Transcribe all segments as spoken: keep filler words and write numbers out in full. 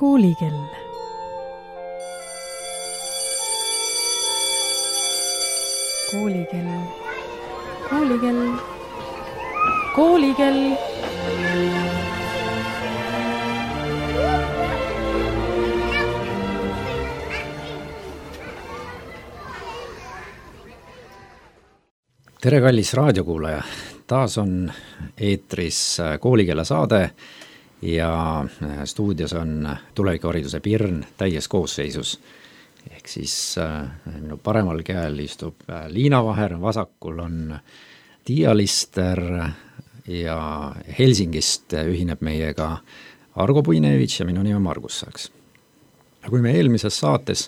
Koolikell. Koolikell. Koolikell. Koolikell. Tere, kallis raadiokuulaja! Taas on eetris Koolikella saade ja stuudios on tulevikuhariduse Pirn täies koosseisus. Ehk siis minu paremal käel istub Liina Vaher, vasakul on Tiia Lister ja Helsingist ühineb meiega Argo Puinevitš ja minu nimi on Margus Saks. Kui me eelmises saates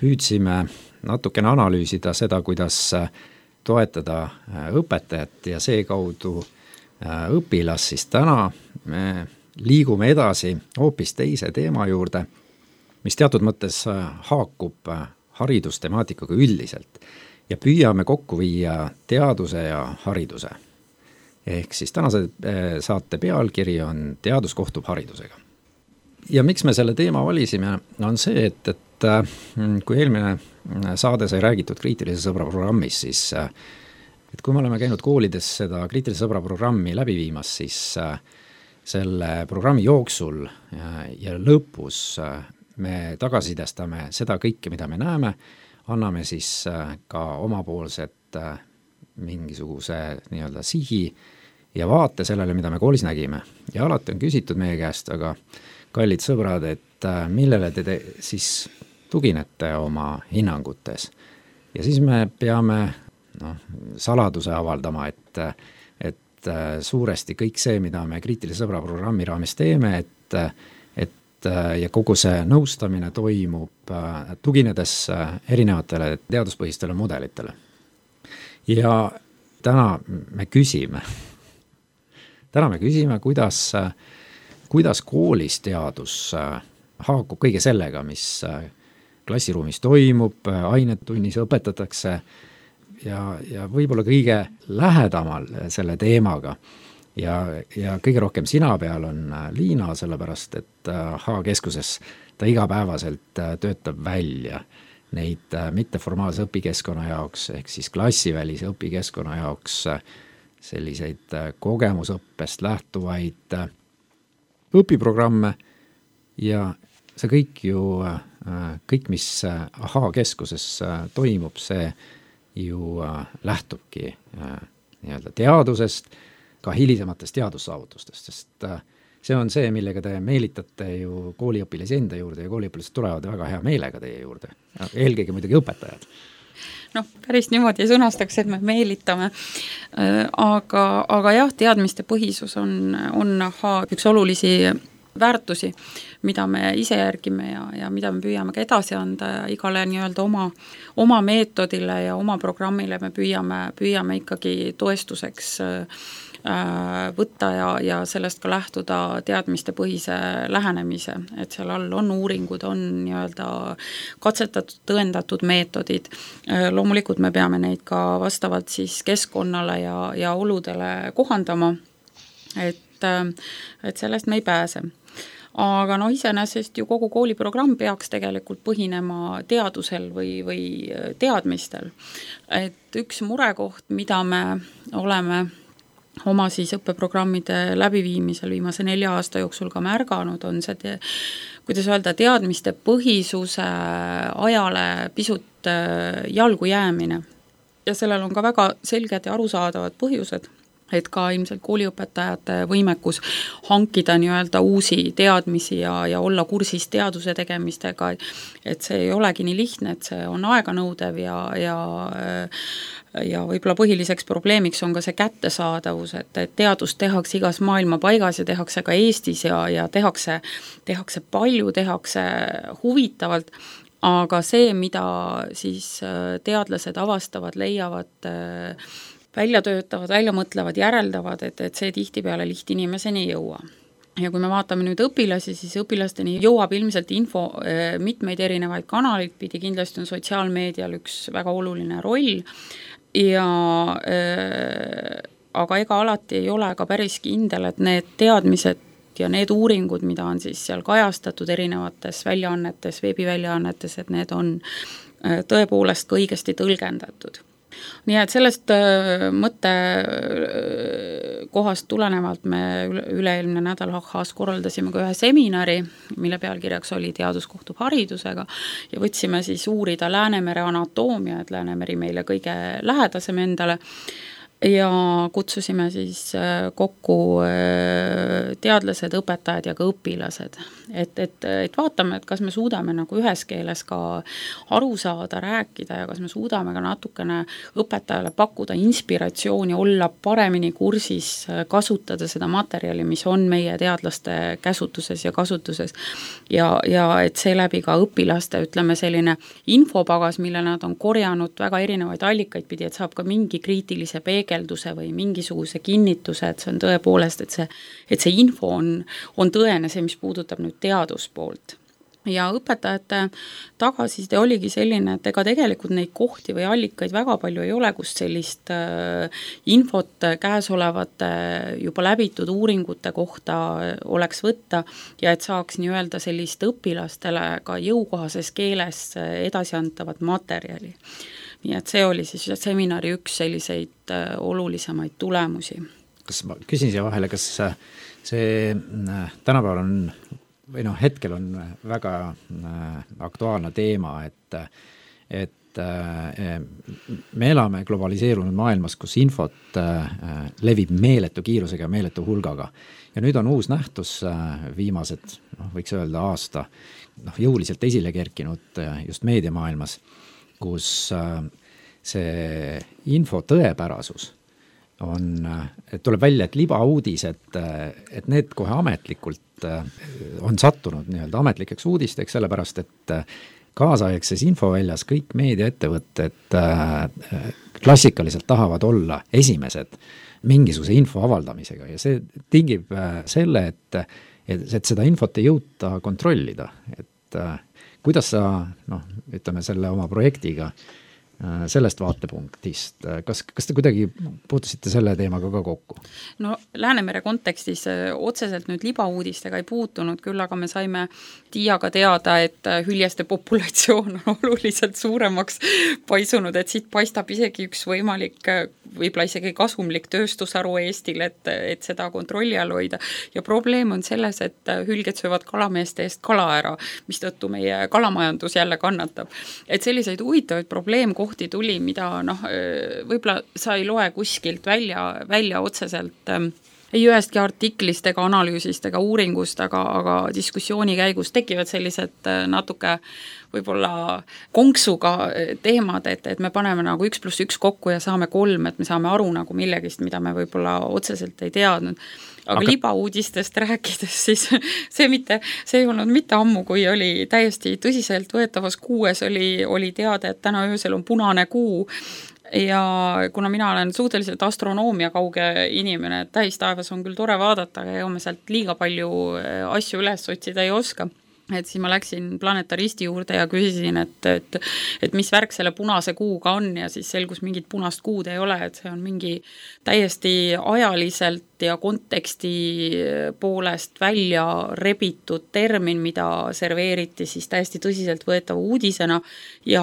püüdsime natukene analüüsida seda, kuidas toetada õpetajat ja seekaudu õpilas, siis täna me liigume edasi hoopis teise teema juurde, mis teatud mõttes haakub haridustemaatikaga üldiselt ja püüame kokku viia teaduse ja hariduse. Ehk siis tänase saate pealkiri on Teadus kohtub haridusega. Ja miks me selle teema valisime, on see, et, et kui eelmine saade sai räägitud kriitilise sõbra programmis, siis et kui me oleme käinud koolides seda kriitilise sõbra programmi läbi viimas, siis selle programmi jooksul ja lõpus me tagasisidestame seda kõike, mida me näeme, anname siis ka omapoolset mingisuguse nii-öelda sihi ja vaate sellele, mida me koolis nägime. Ja alati on küsitud meie käest, aga kallid sõbrad, et millele te, te siis tuginete oma hinnangutes. Ja siis me peame no, saladuse avaldama, et, et suuresti kõik see, mida me kriitilise sõbra programmi raames teeme, et, et ja kogu see nõustamine toimub tuginedes erinevatele teaduspõhistele mudelitele. Ja täna me küsime, täna me küsime, kuidas, kuidas koolis teadus haakub kõige sellega, mis klassiruumis toimub, ainetunnis õpetatakse ja, ja võib-olla kõige lähedamal selle teemaga. Ja, ja kõige rohkem sina peal on Liina, sellepärast, et H-keskuses ta igapäevaselt töötab välja neid mitteformaalse õpikeskkonna jaoks, ehk siis klassivälise õpikeskkonna jaoks selliseid kogemusõppest lähtuvaid õpiprogramme ja see kõik ju, kõik, mis H-keskuses toimub, see ju lähtubki nii-öelda teadusest, ka hilisematest teadussaavutustest, sest see on see, millega te meelitate ju kooliõpilasi enda juurde ja kooliõpilased tulevad väga hea meelega teie juurde. Eelkõige muidugi õpetajad. Noh, päris niimoodi sõnastaks, et me meelitame. Aga, aga jah, teadmiste põhisus on, on H üks olulisi väärtusi, mida me ise järgime ja, ja mida me püüame ka edasi anda ja igale nii-öelda oma, oma meetodile ja oma programmile me püüame, püüame ikkagi toestuseks äh, võtta ja, ja sellest ka lähtuda teadmiste põhise lähenemise, et seal all on uuringud, on nii-öelda katsetatud, tõendatud meetodid. Loomulikult me peame neid ka vastavalt siis keskkonnale ja, ja oludele kohandama, et, et sellest me ei pääse. Aga no iseenesest ju kogu kooliprogramm peaks tegelikult põhinema teadusel või, või teadmistel. Et üks murekoht, mida me oleme oma siis õppeprogrammide läbiviimisel viimase nelja aasta jooksul ka märganud, on see, te, kuidas öelda, teadmiste põhisuse ajale pisut jalgu jäämine. Ja sellel on ka väga selged ja arusaadavad põhjused, et ka ilmselt kooliõpetajate võimekus hankida nii-öelda uusi teadmisi ja, ja olla kursis teaduse tegemistega, et see ei olegi nii lihtne, et see on aeganõudev ja, ja, ja võib-olla põhiliseks probleemiks on ka see kättesaadavus, et, et teadust tehakse igas maailma paigas ja tehakse ka Eestis ja, ja tehakse, tehakse palju, tehakse huvitavalt, aga see, mida siis teadlased avastavad, leiavad välja töötavad, välja mõtlevad, järeldavad, et, et see tihtipeale lihtinimeseni ei jõua. Ja kui me vaatame nüüd õpilasi, siis õpilasteni jõuab ilmselt info mitmeid erinevaid kanaleid pidi, kindlasti on sotsiaalmeedial üks väga oluline roll ja äh, aga ega alati ei ole ka päris kindel, et need teadmised ja need uuringud, mida on siis seal kajastatud erinevates väljaannetes, veebiväljaannetes, et need on tõepoolest ka õigesti tõlgendatud. Nii et sellest mõtte kohast tulenevalt me üle-eelmine nädal H H-s korraldasime ka ühe seminari, mille pealkirjaks oli Teadus kohtub haridusega ja võtsime siis uurida Läänemere anatoomia, et Läänemeri meile kõige lähedasem endale, ja kutsusime siis kokku teadlased, õpetajad ja ka õpilased. Et, et, et vaatame, et kas me suudame nagu ühes keeles ka aru saada, rääkida ja kas me suudame ka natukene õpetajale pakkuda inspiratsiooni, olla paremini kursis, kasutada seda materjali, mis on meie teadlaste käsutuses ja kasutuses. Ja, ja et seeläbi ka õpilaste, ütleme selline infopagas, mille nad on korjanud väga erinevaid allikaid pidi, et saab ka mingi kriitilise peegelduse või mingisuguse kinnituse, et see on tõepoolest, et see, et see info on, on tõene, see, mis puudutab nüüd teaduspoolt. Ja õpetajate tagasiside oligi selline, et ega tegelikult neid kohti või allikaid väga palju ei ole, kus sellist äh, infot käesolevate juba läbitud uuringute kohta oleks võtta ja et saaks nii öelda sellist õpilastele ka jõukohases keeles edasi antavat materjali. Nii et see oli siis seminari üks selliseid äh, olulisemaid tulemusi. Kas ma küsin siia vahele, kas see tänapäeval on või noh, hetkel on väga aktuaalne teema, et, et me elame globaliseerunud maailmas, kus infot levib meeletu kiirusega ja meeletu hulgaga. Ja nüüd on uus nähtus viimased, noh, võiks öelda aasta, noh, jõuliselt esile kerkinud just meediamaailmas, kus see info tõepärasus on, et tuleb välja, et libauudised, et need kohe ametlikult on sattunud nii-öelda ametlikeks uudisteks, sellepärast et kaasaegses infoväljas kõik meediaettevõtted klassikaliselt tahavad olla esimesed mingisuguse info avaldamisega ja see tingib selle, et, et, et seda infot ei jõuta kontrollida. Et kuidas sa, noh, ütleme selle oma projektiga sellest vaatepunktist, kas, kas te kuidagi puutusite selle teemaga ka kokku? No Läänemere kontekstis otseselt nüüd libauudistega ei puutunud, küll aga me saime Tiiaga teada, et hüljeste populatsioon on oluliselt suuremaks paisunud, et siit paistab isegi üks võimalik, võib-olla isegi kasumlik tööstusharu Eestil, et, et seda kontrolli all hoida. Ja probleem on selles, et hülged söövad kalameeste eest kala ära, mistõttu meie kalamajandus jälle kannatab. Et selliseid huvitavaid probleemkohti tuli, mida noh, võib-olla sa ei loe kuskilt välja, välja otseselt ei ühestki artiklist ega analüüsist ega uuringust, aga, aga diskussiooni käigus tekivad sellised natuke võib-olla konksuga teemad, et, et me paneme nagu üks pluss üks kokku ja saame kolm, et me saame aru nagu millegist, mida me võib-olla otseselt ei teadnud. Aga, aga libauudistest rääkides, siis see, mitte, see ei olnud mitte ammu, kui oli täiesti tõsiselt võetavas kuues, oli, oli teada, et täna öösel on punane kuu ja kuna mina olen suhteliselt astronoomia kauge inimene, et tähistaevas on küll tore vaadata, aga me sealt liiga palju asju üles otsida ei oska. Et siis ma läksin planetaristi juurde ja küsisin, et, et, et mis värk selle punase kuuga on ja siis selgus mingit punast kuud ei ole, et see on mingi täiesti ajaliselt ja konteksti poolest välja rebitud termin, mida serveeriti siis täiesti tõsiselt võetava uudisena ja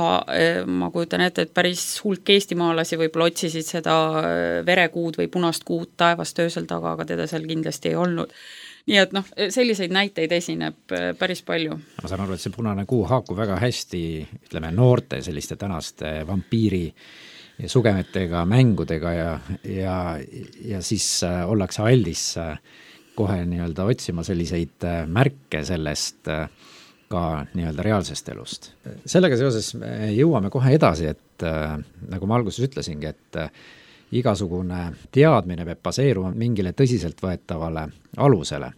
ma kujutan ette, et päris hulk eestimaalasi võib-olla otsisid seda verekuud või punast kuud taevast öösel taga, aga teda seal kindlasti ei olnud. Nii et noh, selliseid näiteid esineb päris palju. Ma saan aru, et see punane kuu haakub väga hästi, ütleme, noorte selliste tänaste vampiiri sugemetega, mängudega ja, ja, ja siis ollakse aldis kohe nii-öelda otsima selliseid märke sellest ka nii-öelda reaalsest elust. Sellega seoses jõuame kohe edasi, et nagu ma alguses ütlesingi, et igasugune teadmine peab baseeruma mingile tõsiselt võetavale alusele.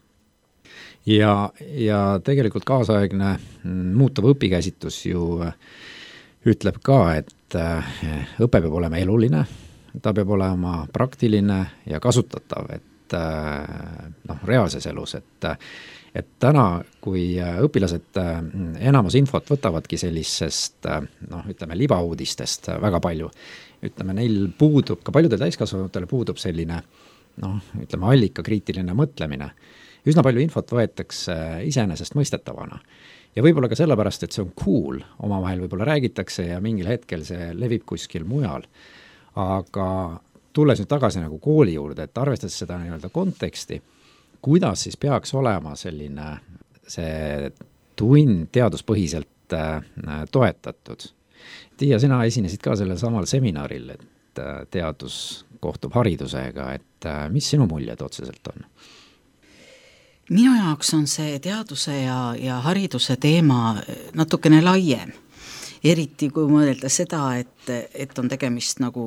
Ja, ja tegelikult kaasaegne muutuv õpikäsitus ju ütleb ka, et õpe peab olema eluline, ta peab olema praktiline ja kasutatav, et noh, reaalses elus, et, et täna, kui õpilased enamus infot võtavadki sellisest, noh, ütleme, libauudistest väga palju, ütleme, neil puudub, ka paljudel täiskasvanutele puudub selline, noh, ütleme, allika kriitiline mõtlemine, üsna palju infot võetakse iseenesest mõistetavana. Ja võib-olla ka sellepärast, et see on cool, omavahel võib-olla räägitakse ja mingil hetkel see levib kuskil mujal. Aga tulles nüüd tagasi nagu kooli juurde, et arvestades seda nii-öelda konteksti, kuidas siis peaks olema selline see tund teaduspõhiselt toetatud. Tiia, sina esinesid ka sellel samal seminaril, et teadus kohtub haridusega, et mis sinu muljed otseselt on? Minu jaoks on see teaduse ja, ja hariduse teema natukene laiem. Eriti kui mõelda seda, et, et on tegemist nagu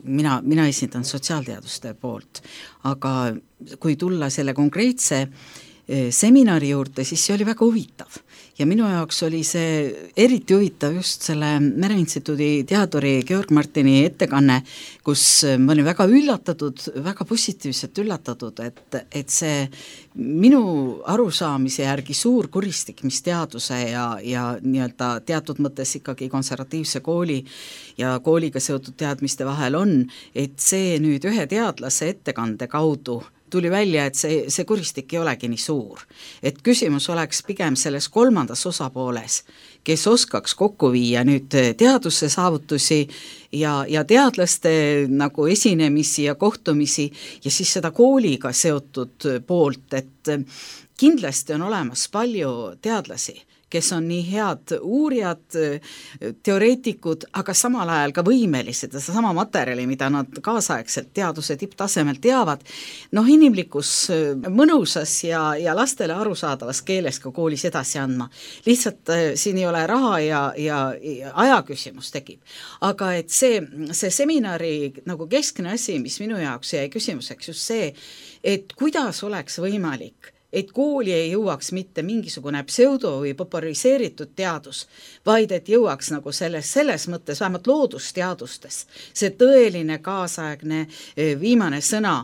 mina, mina esindan sotsiaalteaduste poolt, aga kui tulla selle konkreetse seminari juurde, siis see oli väga huvitav. Ja minu jaoks oli see eriti huvitav just selle Mereinstituudi teaduri Georg Martini ettekanne, kus ma olin väga üllatatud, väga positiivselt üllatatud, et, et see minu arusaamise järgi suur kuristik, mis teaduse ja, ja nii-öelda teatud mõttes ikkagi konservatiivse kooli ja kooliga seotud teadmiste vahel on, et see nüüd ühe teadlase ettekande kaudu tuli välja, et see, see kuristik ei olegi nii suur. Et küsimus oleks pigem selles kolmandas osapooles, kes oskaks kokku viia nüüd teaduse saavutusi ja, ja teadlaste nagu esinemisi ja kohtumisi ja siis seda kooliga seotud poolt, et kindlasti on olemas palju teadlasi, kes on nii head uurijad, teoreetikud, aga samal ajal ka võimelised ja sama materjali, mida nad kaasaegselt teaduse tipptasemel teavad, noh inimlikus mõnusas ja, ja lastele arusaadavas keeles ka koolis edasi andma. Lihtsalt siin ei ole raha ja, ja, ja aja küsimus tekib. Aga et see, see seminari nagu keskne asi, mis minu jaoks jäi küsimuseks just see, et kuidas oleks võimalik et kooli ei jõuaks mitte mingisugune pseudo- või populariseeritud teadus, vaid et jõuaks nagu selles, selles mõttes, vähemalt loodusteadustes, see tõeline kaasaegne viimane sõna,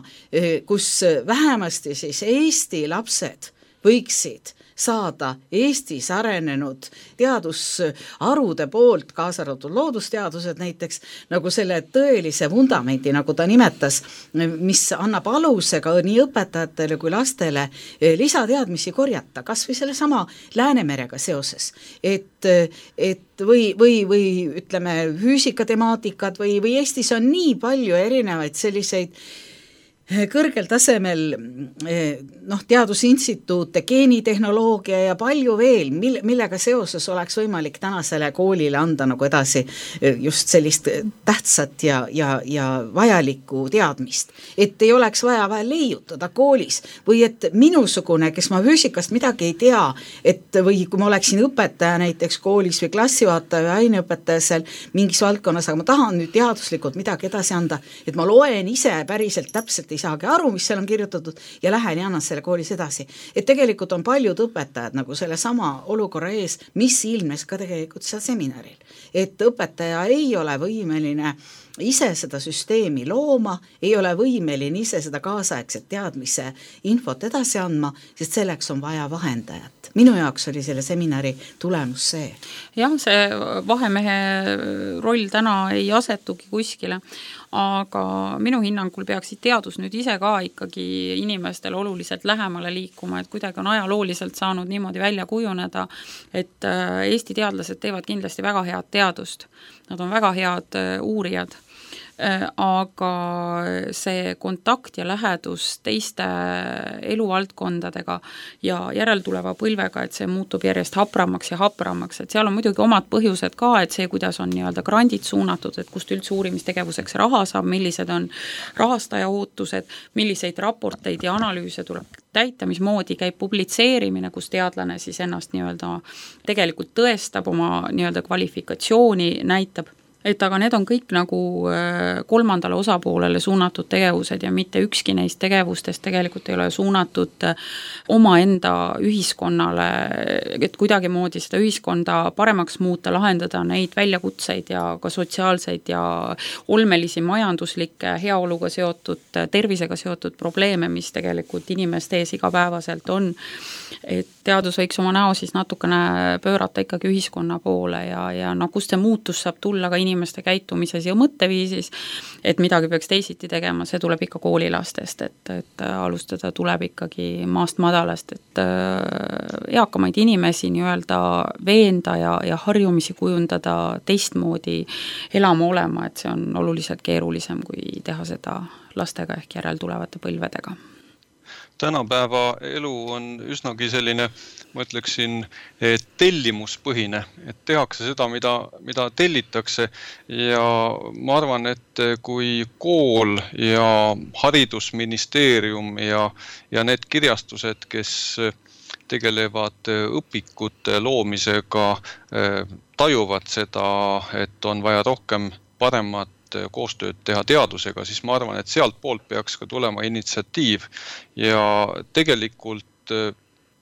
kus vähemasti siis Eesti lapsed võiksid saada Eestis arenenud teadusharude poolt, kaasa arvatud loodusteadused näiteks, nagu selle tõelise vundamendi, nagu ta nimetas, mis annab aluse ka nii õpetajatele kui lastele lisateadmisi korjata, kas või selle sama Läänemerega seoses, et, et või, või, või ütleme füüsikatemaatikat või, või Eestis on nii palju erinevaid selliseid kõrgel tasemel noh, teadusinstituute, geenitehnoloogia ja palju veel, mille, millega seoses oleks võimalik tänasele koolile anda nagu edasi just sellist tähtsat ja, ja, ja vajalikku teadmist. Et ei oleks vaja vahel leiutada koolis või et minusugune, kes ma füüsikast midagi ei tea, et või kui ma oleksin õpetaja näiteks koolis või klassivaataja või aineõpetaja seal mingis valdkonnas, aga ma tahan nüüd teaduslikult midagi edasi anda, et ma loen ise päriselt täpselt ei saagi aru, mis seal on kirjutatud ja lähen ja annan selle koolis edasi. Et tegelikult on paljud õpetajad nagu selle sama olukorra ees, mis ilmes ka tegelikult seal seminaril. Et õpetaja ei ole võimeline ise seda süsteemi looma, ei ole võimeline ise seda kaasaegset teadmise infot edasi andma, sest selleks on vaja vahendajat. Minu jaoks oli selle seminari tulemus see. Jah, see vahemehe roll täna ei asetugi kuskile, aga minu hinnangul peaksid teadus nüüd ise ka ikkagi inimestel oluliselt lähemale liikuma, et kuidagi on ajalooliselt saanud niimoodi välja kujuneda, et Eesti teadlased teevad kindlasti väga head teadust. Nad on väga head uurijad, aga see kontakt ja lähedus teiste eluvaldkondadega ja järeltuleva põlvega, et see muutub järjest hapramaks ja hapramaks, et seal on muidugi omad põhjused ka, et see, kuidas on nii-öelda grandid suunatud, et kust üldse uurimistegevuseks raha saab, millised on rahastaja ootused, milliseid raporteid ja analüüse tuleb täita, mismoodi käib publitseerimine, kus teadlane siis ennast nii-öelda tegelikult tõestab, oma nii-öelda kvalifikatsiooni näitab. Et aga need on kõik nagu kolmandale osapoolele suunatud tegevused ja mitte ükski neist tegevustest tegelikult ei ole suunatud oma enda ühiskonnale, et kuidagi moodi seda ühiskonda paremaks muuta, lahendada neid väljakutseid ja ka sotsiaalseid ja olmelisi majanduslikke heaoluga seotud, tervisega seotud probleeme, mis tegelikult inimeste ees igapäevaselt on. Et teadus võiks oma näo siis natukene pöörata ikkagi ühiskonna poole ja, ja no kust see muutus saab tulla ka inimesele inimeste käitumises ja mõtteviisis, et midagi peaks teisiti tegema, see tuleb ikka koolilastest, et, et alustada tuleb ikkagi maast madalast, et eakamaid inimesi nii-öelda veenda ja, ja harjumisi kujundada teistmoodi elama olema, et see on oluliselt keerulisem, kui teha seda lastega ehk järeltulevate põlvedega. Tänapäeva elu on üsnagi selline, ma ütleksin, tellimuspõhine, et tehakse seda, mida, mida tellitakse ja ma arvan, et kui kool ja haridusministeerium ja, ja need kirjastused, kes tegelevad õpikute loomisega, tajuvad seda, et on vaja rohkem paremat koostööd teha teadusega, siis ma arvan, et sealt poolt peaks ka tulema initsiatiiv ja tegelikult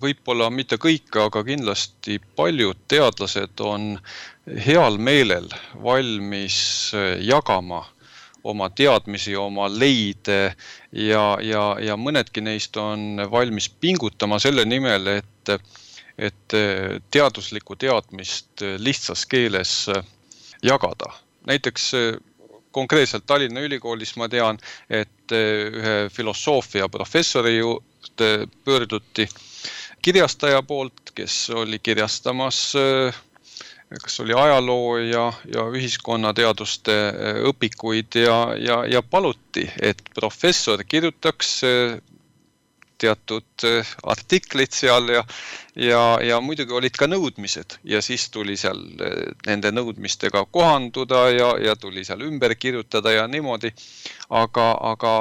võib-olla mitte kõik, aga kindlasti paljud teadlased on heal meelel valmis jagama oma teadmisi, oma leide ja, ja, ja mõnedki neist on valmis pingutama selle nimel, et, et teaduslikku teadmist lihtsas keeles jagada. Näiteks konkreetselt Tallinna Ülikoolis ma tean, et ühe filosoofia professori juurde pöörduti kirjastaja poolt, kes oli kirjastamas, kas oli ajaloo ja, ja ühiskonnateaduste õpikuid ja, ja, ja paluti, et professor kirjutaks teatud artiklid seal ja, ja, ja muidugi olid ka nõudmised ja siis tuli seal nende nõudmistega kohanduda ja, ja tuli seal ümber kirjutada ja niimoodi, aga, aga,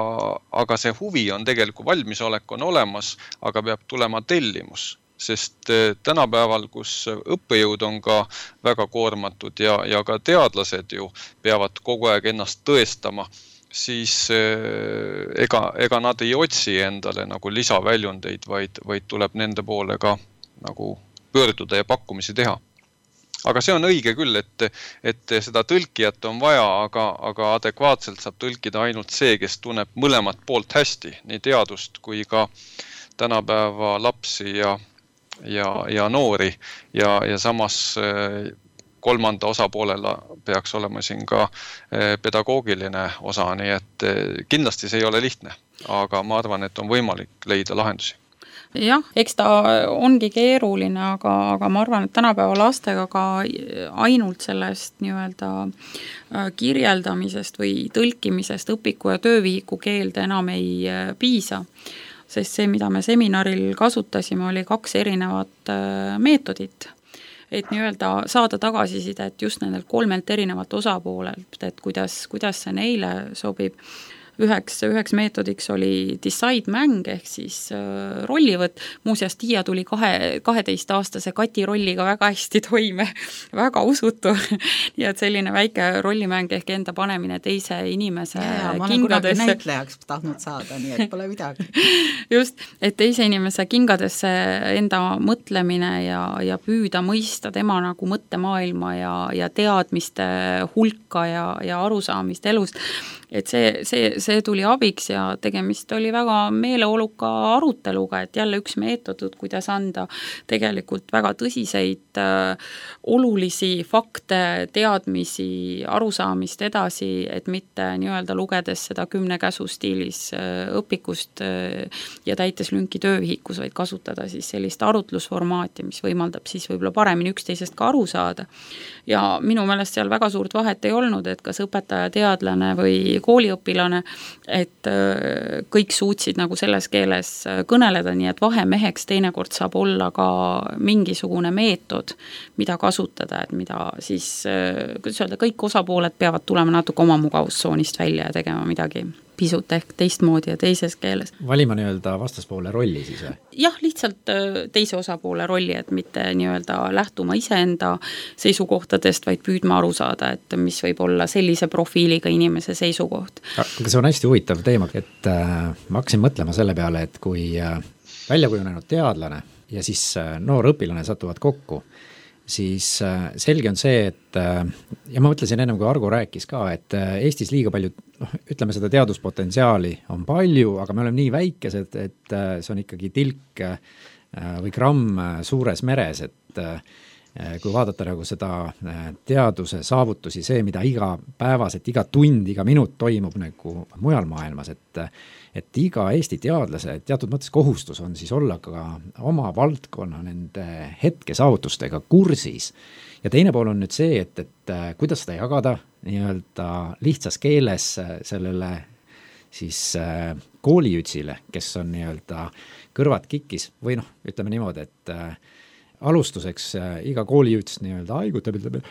aga see huvi on tegelikult, valmisolek on olemas, aga peab tulema tellimus, sest tänapäeval, kus õppejõud on ka väga koormatud ja, ja ka teadlased ju peavad kogu aeg ennast tõestama, siis ega, ega nad ei otsi endale nagu lisaväljundeid, vaid, vaid tuleb nende poole ka nagu pöörduda ja pakkumisi teha. Aga see on õige küll, et, et seda tõlkijat on vaja, aga, aga adekvaatselt saab tõlkida ainult see, kes tunneb mõlemat poolt hästi, nii teadust kui ka tänapäeva lapsi ja, ja, ja noori ja, ja samas kolmanda osapoolele peaks olema siin ka pedagoogiline osa, nii et kindlasti see ei ole lihtne, aga ma arvan, et on võimalik leida lahendusi. Jah, eks ta ongi keeruline, aga, aga ma arvan, et tänapäeva lastega ka ainult sellest nii-öelda kirjeldamisest või tõlkimisest õpiku ja töövihiku keelde enam ei piisa, sest see, mida me seminaril kasutasime, oli kaks erinevat meetodit, et nii-öelda saada tagasisidet just nendelt kolmelt erinevalt osapoolelt, et kuidas, kuidas see neile sobib. Üheks, üheks meetodiks oli decide mäng ehk siis äh, rollivõtt. Muuseas, Tiia tuli kahe, kaheteistaastase Kati rolliga väga hästi toime, väga usutu. Nii et selline väike rollimäng ehk enda panemine teise inimese ja, ma olen kingadesse. kunagi näitlejaks tahtnud saada, nii et pole midagi. Just, et teise inimese kingadesse enda mõtlemine ja, ja püüda mõista tema nagu mõttemaailma ja, ja teadmiste hulka ja, ja arusaamist elust. Et see, see, see tuli abiks ja tegemist oli väga meeleoluka aruteluga, et jälle üks meetod, kuidas anda tegelikult väga tõsiseid äh, olulisi fakte, teadmisi, arusaamist edasi, et mitte nii-öelda lugedes seda kümne käsu stiilis äh, õpikust äh, ja täites lünki töövihikus, vaid kasutada siis sellist arutlusformaati, mis võimaldab siis võib-olla paremini üksteisest ka aru saada. Ja minu meelest seal väga suurt vahet ei olnud, et kas õpetaja, teadlane või kooliõpilane, et kõik suutsid nagu selles keeles kõneleda, nii et vahemeheks teinekord saab olla ka mingisugune meetod, mida kasutada, et mida siis, kuidas öelda, kõik osapooled peavad tulema natuke oma mugavustsoonist välja ja tegema midagi pisut ehk teistmoodi ja teises keeles. Valima nii-öelda vastaspoole rolli siis või? Jah, lihtsalt teise osapoole rolli, et mitte nii-öelda lähtuma iseenda seisukohtadest, vaid püüdma aru saada, et mis võib olla sellise profiiliga inimese seisukoht. Aga see on hästi huvitav teema, et äh, ma hakkasin mõtlema selle peale, et kui äh, väljakujunenud teadlane ja siis äh, noor õpilane satuvad kokku, siis selge on see, et ja ma mõtlesin ennem, kui Argo rääkis ka, et Eestis liiga palju, noh, ütleme seda teaduspotentsiaali on palju, aga me oleme nii väikesed, et see on ikkagi tilk või gramm suures meres, et kui vaadata nagu seda teaduse saavutusi, see, mida iga päevas, et iga tund, iga minut toimub nagu mujal maailmas, et et iga Eesti teadlase teatud mõttes kohustus on siis olla ka oma valdkonna nende hetke saavutustega kursis. Ja teine pool on nüüd see, et, et kuidas seda jagada nii-öelda lihtsas keeles sellele siis koolijutsile, kes on nii-öelda kõrvad kikis või noh, ütleme niimoodi, et alustuseks iga koolijuts nii-öelda haigutab, ütleb,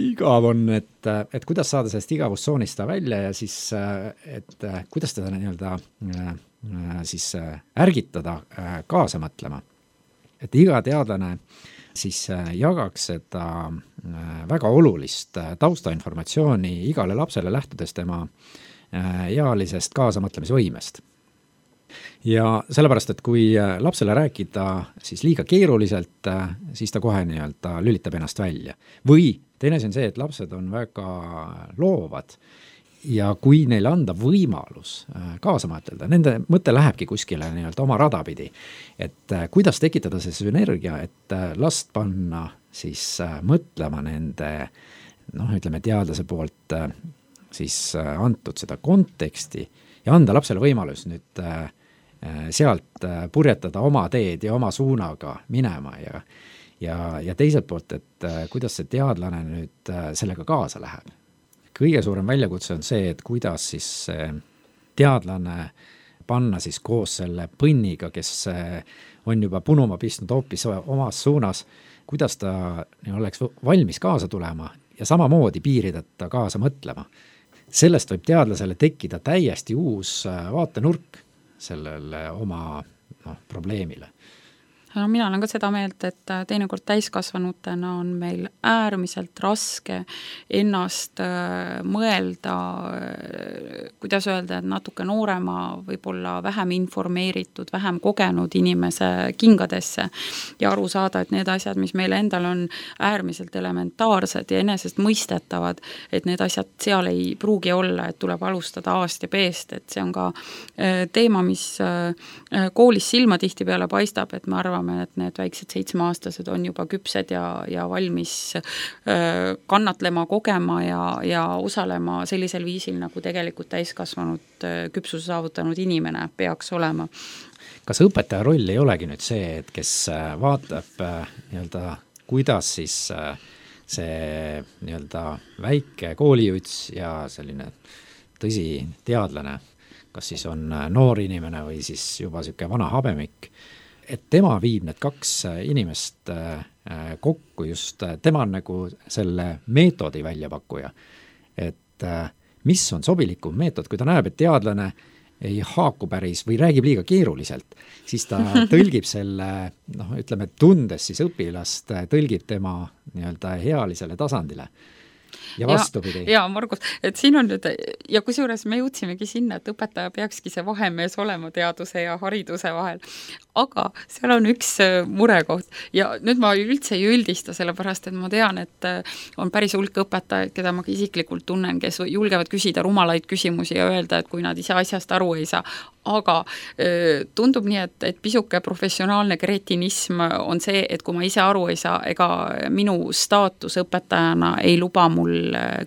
igav on, et, et kuidas saada sellest igavustsoonist välja ja siis, et kuidas teda nii-öelda siis ärgitada kaasa mõtlema. Et iga teadlane siis jagaks seda väga olulist taustainformatsiooni igale lapsele lähtudes tema ealisest kaasamõtlemisvõimest. Ja sellepärast, et kui lapsele rääkida siis liiga keeruliselt, siis ta kohe nii-öelda lülitab ennast välja. Või teine on see, et lapsed on väga loovad ja kui neile anda võimalus kaasa mõtelda, nende mõte lähebki kuskile nii-öelda oma radapidi. Et kuidas tekitada see sünergia, et last panna siis mõtlema nende, noh, ütleme teadlase poolt siis antud seda konteksti ja anda lapsele võimalus nüüd sealt purjetada oma teed ja oma suunaga minema ja, ja, ja teiselt poolt, et kuidas see teadlane nüüd sellega kaasa läheb. Kõige suurem väljakutse on see, et kuidas siis teadlane panna siis koos selle põnniga, kes on juba punuma pistnud hoopis omas suunas, kuidas ta oleks valmis kaasa tulema ja samamoodi piirideta kaasa mõtlema. Sellest võib teadlasele tekkida täiesti uus vaatenurk sellele oma noh, probleemile. No, mina olen ka seda meelt, et teinekord täiskasvanutena on meil äärmiselt raske ennast mõelda, kuidas öelda, et natuke noorema, võib-olla vähem informeeritud, vähem kogenud inimese kingadesse ja aru saada, et need asjad, mis meile endal on äärmiselt elementaarsed ja enesest mõistetavad, et need asjad seal ei pruugi olla, et tuleb alustada A-st ja B-st, et see on ka teema, mis koolis silma tihti peale paistab, et ma arvan, et need väiksed seitsmeaastased on juba küpsed ja, ja valmis kannatlema, kogema ja, ja osalema sellisel viisil, nagu tegelikult täiskasvanud küpsuse saavutanud inimene peaks olema. Kas õpetaja roll ei olegi nüüd see, et kes vaatab nii-öelda, kuidas siis see nii-öelda väike koolijuts ja selline tõsi teadlane, kas siis on noor inimene või siis juba siuke vana habemik, et tema viib need kaks inimest kokku, just tema on nagu selle meetodi väljapakkuja. Et mis on sobilikum meetod, kui ta näeb, et teadlane ei haaku päris või räägib liiga keeruliselt, siis ta tõlgib selle, noh, ütleme, tundes siis õpilast, tõlgib tema nii-öelda healisele tasandile. Ja vastupidi. Ja, ja Margus, et siin on nüüd, ja kusjuures me jõudsimegi sinna, et õpetaja peakski see vahemees olema teaduse ja hariduse vahel. Aga seal on üks murekoht ja nüüd ma üldse ei üldista, sellepärast, et ma tean, et on päris hulk õpetajaid, keda ma isiklikult tunnen, kes julgevad küsida rumalaid küsimusi ja öelda, et kui nad ise asjast aru ei saa. Aga tundub nii, et, et pisuke professionaalne kretinism on see, et kui ma ise aru ei saa, ega minu staatus õpetajana ei luba mul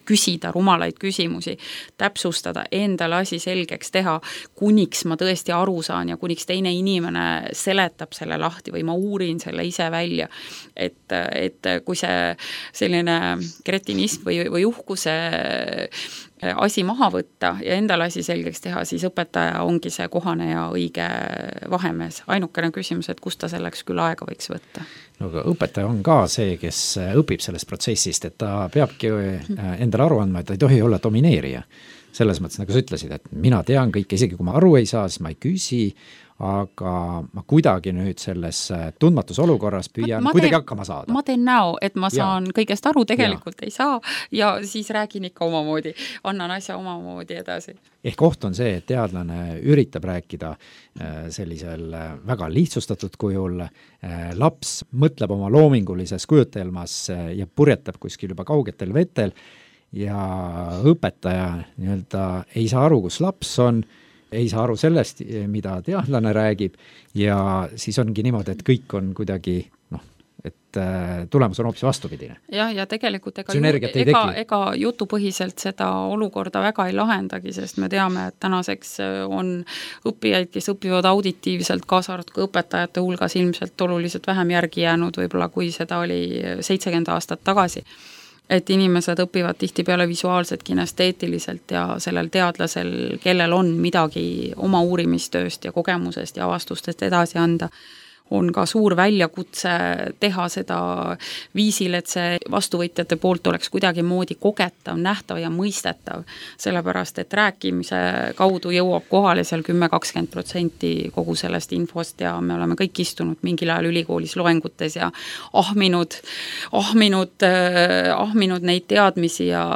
küsida rumalaid küsimusi, täpsustada, endale asi selgeks teha, kuniks ma tõesti aru saan ja kuniks teine inimene seletab selle lahti või ma uurin selle ise välja. Et, et kui see selline kretinism või, või uhkuse asi maha võtta ja endale asi selgeks teha, siis õpetaja ongi see kohane ja õige vahemees. Ainukene küsimus, et kust ta selleks küll aega võiks võtta? No, aga õpetaja on ka see, kes õpib sellest protsessist, et ta peabki endale aru andma, et ta ei tohi olla domineerija. Selles mõttes, nagu sa ütlesid, et mina tean kõike, isegi kui ma aru ei saa, siis ma ei küsi, aga ma kuidagi nüüd selles tundmatus olukorras püüan ma, ma kuidagi teen, hakkama saada. Ma teen näo, et ma saan ja. kõigest aru, tegelikult ja. ei saa ja siis räägin ikka omamoodi, annan asja omamoodi edasi. Ehk koht on see, et teadlane üritab rääkida sellisel väga lihtsustatud kujul, laps mõtleb oma loomingulises kujutelmas ja purjetab kuskil juba kaugetel vetel ja õpetaja nii-öelda ei saa aru, kus laps on, ei saa aru sellest, mida teadlane räägib ja siis ongi niimoodi, et kõik on kuidagi noh, et tulemus on hoopis vastupidine. jah, ja tegelikult ega, Sünergiat ei ega, teki. ega jutupõhiselt seda olukorda väga ei lahendagi, sest me teame, et tänaseks on õppijaid, kes õpivad auditiivselt, kaasa arvatud ka õpetajate hulgas ilmselt oluliselt vähem järgi jäänud võib-olla, kui seda oli seitsekümmend aastat tagasi. Et inimesed õpivad tihtipeale visuaalselt, kinesteetiliselt ja sellel teadlasel, kellel on midagi oma uurimistööst ja kogemusest ja avastustest edasi anda, on ka suur väljakutse teha seda viisil, et see vastuvõtjate poolt oleks kuidagi moodi kogetav, nähtav ja mõistetav, sellepärast, et rääkimise kaudu jõuab kohale seal kümme kakskümmend protsenti kogu sellest infost ja me oleme kõik istunud mingil ajal ülikoolis loengutes ja ahminud, ahminud, ahminud neid teadmisi ja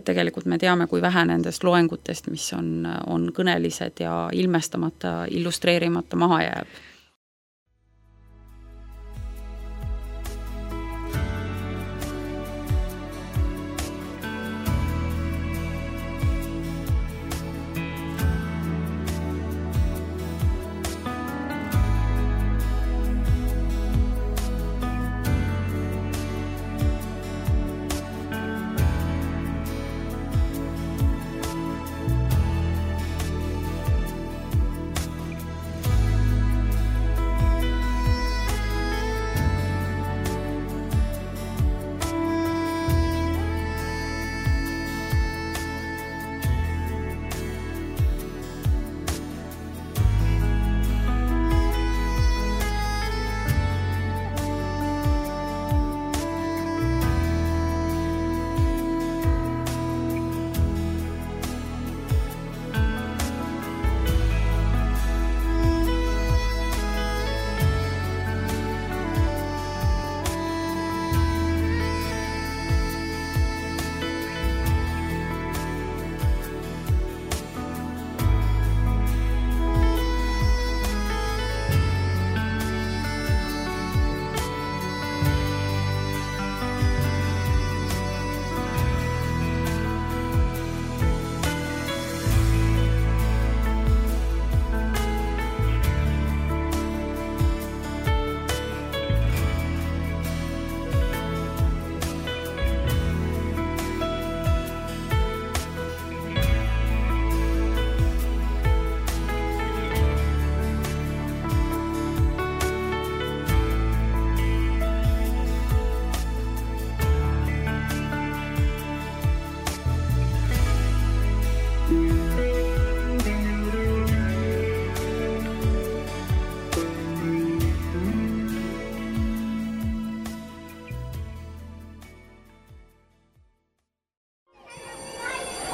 tegelikult me teame, kui vähe nendest loengutest, mis on, on kõnelised ja ilmestamata, illustreerimata maha jääb.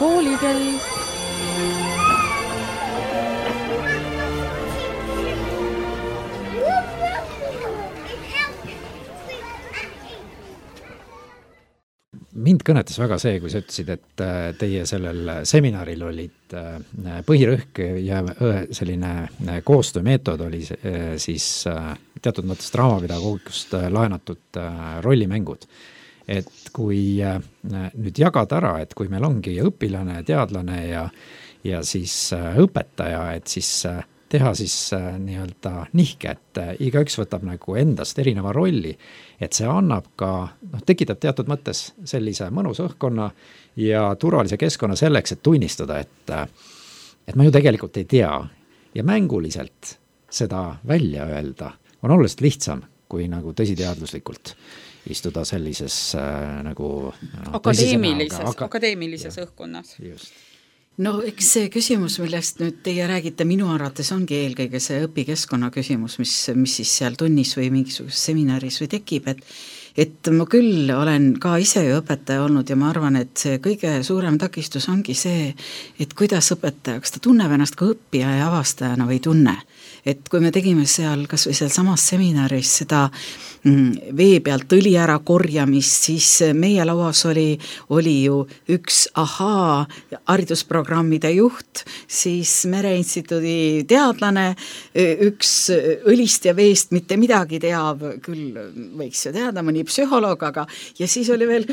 Koolikell. Mind kõnetas väga see, kui sa ütlesid, et teie sellel seminaril olid põhirõhk ja selline koostöömeetod oli siis teatud mõttes draamapedagoogikust laenatud rollimängud. Et kui nüüd jagada ära, et kui meil ongi õpilane, teadlane ja, ja siis õpetaja, et siis teha siis nii-öelda nihke, et igaüks võtab nagu endast erineva rolli, et see annab ka, noh, tekitab teatud mõttes sellise mõnus õhkkonna ja turvalise keskkonna selleks, et tunnistada, et, et ma ju tegelikult ei tea ja mänguliselt seda välja öelda on oluliselt lihtsam kui nagu tõsiteadluslikult istuda sellises äh, nagu no, akadeemilises, aga, akadeemilises ja, õhkkonnas. Just. No eks see küsimus, millest nüüd teie räägite, minu arvates ongi eelkõige see õpikeskkonna küsimus, mis, mis siis seal tunnis või mingisuguses seminaris või tekib, et et ma küll olen ka ise ju õpetaja olnud ja ma arvan, et see kõige suurem takistus ongi see, et kuidas õpetaja, kas ta tunneb ennast ka õppija ja avastajana või tunne. Et kui me tegime seal kas või seal samas seminaris seda vee pealt õli ära korjamist, siis meie lauas oli, oli ju üks ahaa haridusprogrammide juht, siis Mereinstituudi teadlane, üks õlist ja veest mitte midagi teab, küll võiks ju teada, mõni psühholoog, aga ja siis oli veel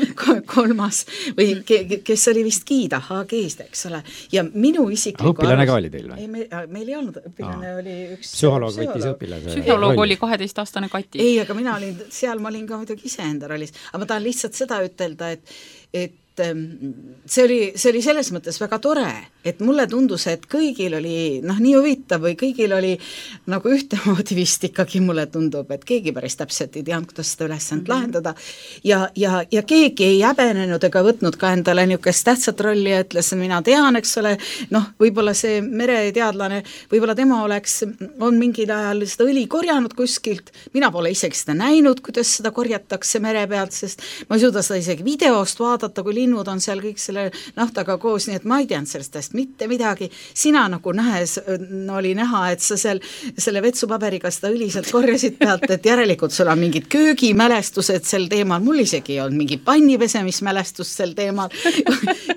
kolmas või ke, kes oli vist Giida H G-st, eks ole. Ja minu isikliku õpilane ka oli teil või? Ei, me, meil ei olnud, õpilane Aa. oli üks psühholoog võttis õpilase. Psühholoog oli kaheteistaastane Kati. Ei, aga mina olin, seal ma olin ka muidugi iseenda rollis, aga ma tahan lihtsalt seda ütelda, et, et see oli, see oli selles mõttes väga tore, et mulle tundus, et kõigil oli noh, nii huvitav või kõigil oli nagu ühtemoodi vist ikkagi mulle tundub, et keegi päris täpselt ei teadnud, kuidas seda ülesand mm-hmm. lahendada ja, ja, ja keegi ei häbenenud ega võtnud ka endale niisugust tähtsat rolli ja ütles, mina tean, eks ole, noh, võib-olla see mereteadlane, võib-olla tema oleks, on mingil ajal seda õli korjanud kuskilt, mina pole isegi seda näinud, kuidas seda korjatakse mere pealt, sest ma ei suuda seda isegi videost vaadata, kui linnud on seal kõik selle naftaga koos, nii et ma ei teadnud sellest täst mitte midagi. Sina nagu nähes no, oli näha, et sa seal selle vetsupaberiga seda õliselt korjasid pealt, et järelikult sul on mingid köögimälestused sel teemal, mul isegi ei olnud mingi pannipesemismälestus sel teemal.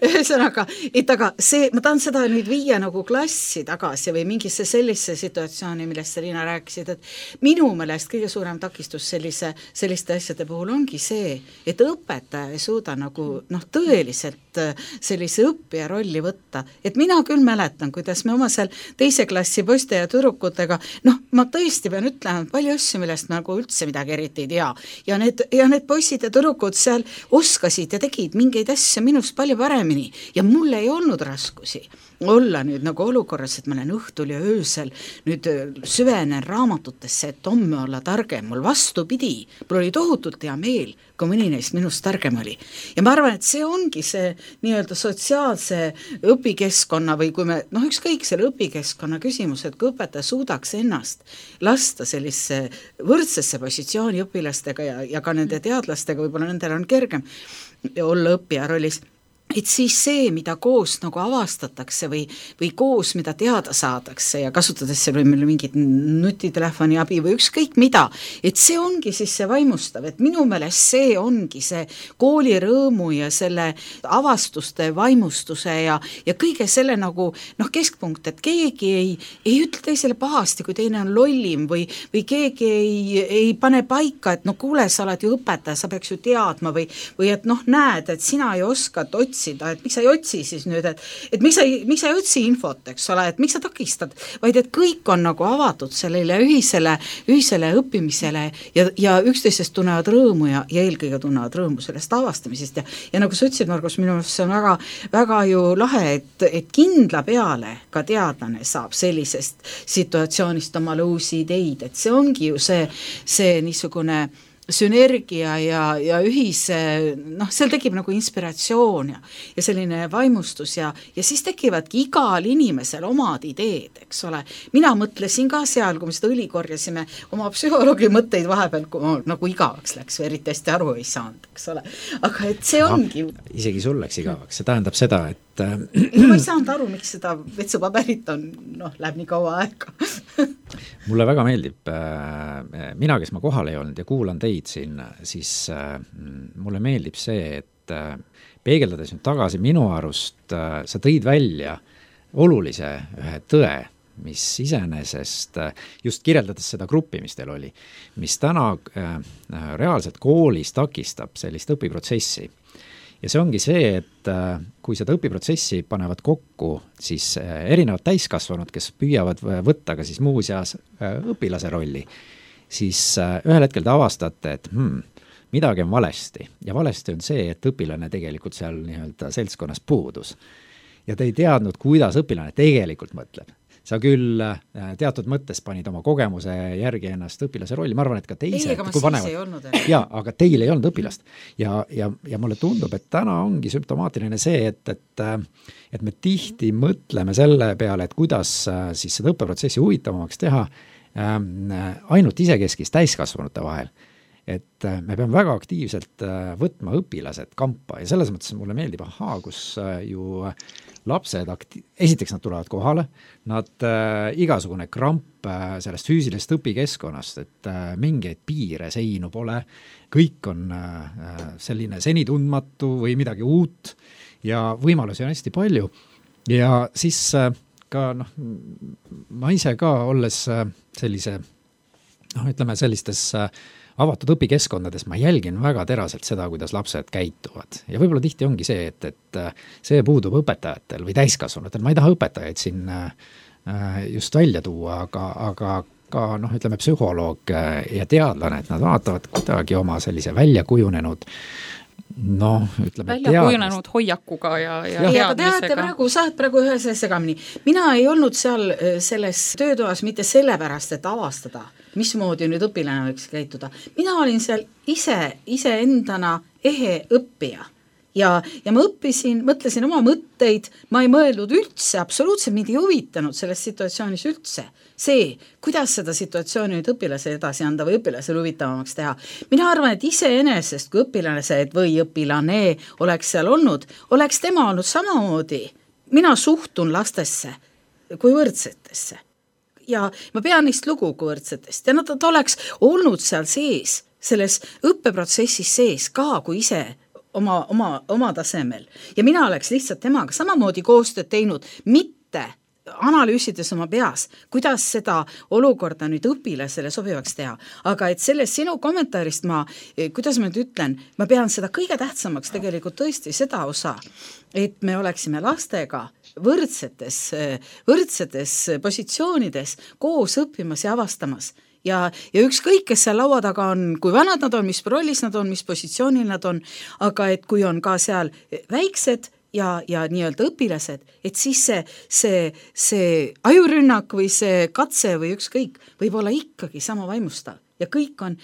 Ühesõnaga, et aga see, ma tahan seda nüüd viia nagu klassi tagasi või mingisse sellise situatsiooni, millest sa, Liina, rääkisid, et minu meelest kõige suurem takistus sellise, selliste asjade puhul ongi see, et õpetaja ei suuda nagu noh, tõeliselt sellise õppija rolli võtta. Et mina küll mäletan, kuidas me oma seal teise klassi poiste ja tüdrukutega, noh, ma tõesti pean ütlema palju asju, millest ma nagu üldse midagi eriti ei tea. Ja need, ja need poisid ja tüdrukud seal oskasid ja tegid mingeid asju minust palju paremini ja mul ei olnud raskusi olla nüüd nagu olukorras, et ma olen õhtul ja öösel nüüd süvenen raamatutesse, et homme olla targem, mul vastupidi, mul oli tohutult hea meel, kui mõni neist minust targem oli. Ja ma arvan, et see ongi see nii-öelda sotsiaalse õpikeskkonna või kui me, noh ükskõik selle õpikeskkonna küsimus, et kui õpetaja suudaks ennast lasta sellise võrdsesse positsiooni õpilastega ja, ja ka nende teadlastega, võib-olla nendel on kergem olla õppija rollis, et siis see, mida koos nagu avastatakse või, või koos, mida teada saadakse ja kasutades seal või meil mingit nutitelefoni abi või ükskõik mida, et see ongi siis see vaimustav, et minu meelest see ongi see kooli rõõmu ja selle avastuste vaimustuse ja, ja kõige selle nagu noh, keskpunkt, et keegi ei, ei ütle teisele pahasti, kui teine on lollim või, või keegi ei, ei pane paika, et no kuule, sa oled ju õpetaja, sa peaks ju teadma või, või et noh, näed, et sina ei oska otsida, et miks sa ei otsi siis nüüd, et, et miks sa ei, miks sa ei otsi infot, eks ole, et miks sa takistad, vaid et kõik on nagu avatud sellele ühisele, ühisele õppimisele ja, ja üksteisest tunnevad rõõmu ja, ja eelkõige tunnevad rõõmu sellest avastamisest ja, ja nagu sa ütlesid, Margus, minu meelest see on väga, väga ju lahe, et, et kindla peale ka teadlane saab sellisest situatsioonist omale uusi ideid, et see ongi ju see, see niisugune sünergia ja, ja ühise, noh, seal tekib nagu inspiratsioon ja, ja selline vaimustus ja, ja siis tekivadki igal inimesel omad ideed, eks ole. Mina mõtlesin ka seal, kui me seda õli korjasime, oma psühholoogi mõtteid vahepeal, kui ma nagu igavaks läks või eriti hästi aru ei saanud, eks ole. Aga et see ongi... No, isegi sul läks igavaks, see tähendab seda, et ma ei saanud aru, miks seda vetsupaberit on, noh, läheb nii kaua aega. Mulle väga meeldib, mina, kes ma kohal ei olnud ja kuulan teid siin, siis mulle meeldib see, et peegeldades nüüd tagasi minu arust, sa tõid välja olulise ühe tõe, mis iseenesest, just kirjeldades seda gruppi, mis teil oli, mis täna reaalselt koolis takistab sellist õpiprotsessi. Ja see ongi see, et kui seda õpiprotsessi panevad kokku, siis erinevad täiskasvanud, kes püüavad võtta ka siis muuseas õpilase rolli, siis ühel hetkel te avastate, et hmm, midagi on valesti. Ja valesti on see, et õpilane tegelikult seal nii-öelda seltskonnas puudus. Ja te ei teadnud, kuidas õpilane tegelikult mõtleb. Sa küll teatud mõttes panid oma kogemuse järgi ennast õpilase rolli, ma arvan, et ka teised. Ei, aga ma siis panevad, ei olnud. Jaa, aga teil ei olnud õpilast. Ja, ja, ja mulle tundub, et täna ongi sümptomaatiline see, et, et, et me tihti mõtleme selle peale, et kuidas siis seda õppeprotsessi huvitavamaks teha ainult isekeskis täiskasvanute vahel. Et me peame väga aktiivselt võtma õpilased kampa ja selles mõttes mulle meeldib, ahaa, kus ju lapsed, akti- esiteks nad tulevad kohale, nad äh, igasugune kramp äh, sellest füüsilisest õpikeskkonnast, et äh, mingeid piire, seinu pole, kõik on äh, selline senitundmatu või midagi uut ja võimalusi on hästi palju ja siis äh, ka noh, ma ise ka olles äh, sellise, noh ütleme sellistes äh, avatud õpikeskkondades ma jälgin väga teraselt seda, kuidas lapsed käituvad. Ja võib-olla tihti ongi see, et, et see puudub õpetajatel või täiskasvanutel. Ma ei taha õpetajaid siin just välja tuua, aga, aga ka noh, ütleme psühholoog ja teadlane, et nad vaatavad kuidagi oma sellise välja kujunenud noh, ütleme välja kujunenud hoiakuga ja, ja ja aga teate praegu, saad praegu ühe selle segamini. Mina ei olnud seal selles töötoas mitte sellepärast, et avastada, mismoodi nüüd õpilane võiks käituda. Mina olin seal ise, ise endana ehe õppija. Ja, ja ma õppisin, mõtlesin oma mõtteid, ma ei mõelnud üldse, absoluutselt mind ei huvitanud selles situatsioonis üldse. See, kuidas seda situatsiooni nüüd õpilase edasi anda või õpilasele huvitavamaks teha. Mina arvan, et iseenesest, kui õpilased või õpilane oleks seal olnud, oleks tema olnud samamoodi. Mina suhtun lastesse kui võrdsetesse. Ja ma pean neist lugu kui võrdsetest. Ja nad oleks olnud seal sees, selles õppeprotsessis sees ka kui ise Oma, oma, oma tasemel. Ja mina oleks lihtsalt temaga samamoodi koostööd teinud, mitte analüüsides oma peas, kuidas seda olukorda nüüd õpilasele sobivaks teha. Aga et sellest sinu kommentaarist ma, kuidas ma nüüd ütlen, ma pean seda kõige tähtsamaks tegelikult tõesti seda osa, et me oleksime lastega võrdsetes, võrdsetes positsioonides koos õppimas ja avastamas. Ja, ja ükskõik, kes seal laua taga on, kui vanad nad on, mis rollis nad on, mis positsioonil nad on, aga et kui on ka seal väiksed ja, ja nii-öelda õpilased, et siis see, see, see ajurünnak või see katse või ükskõik võib olla ikkagi sama vaimustav. Ja kõik on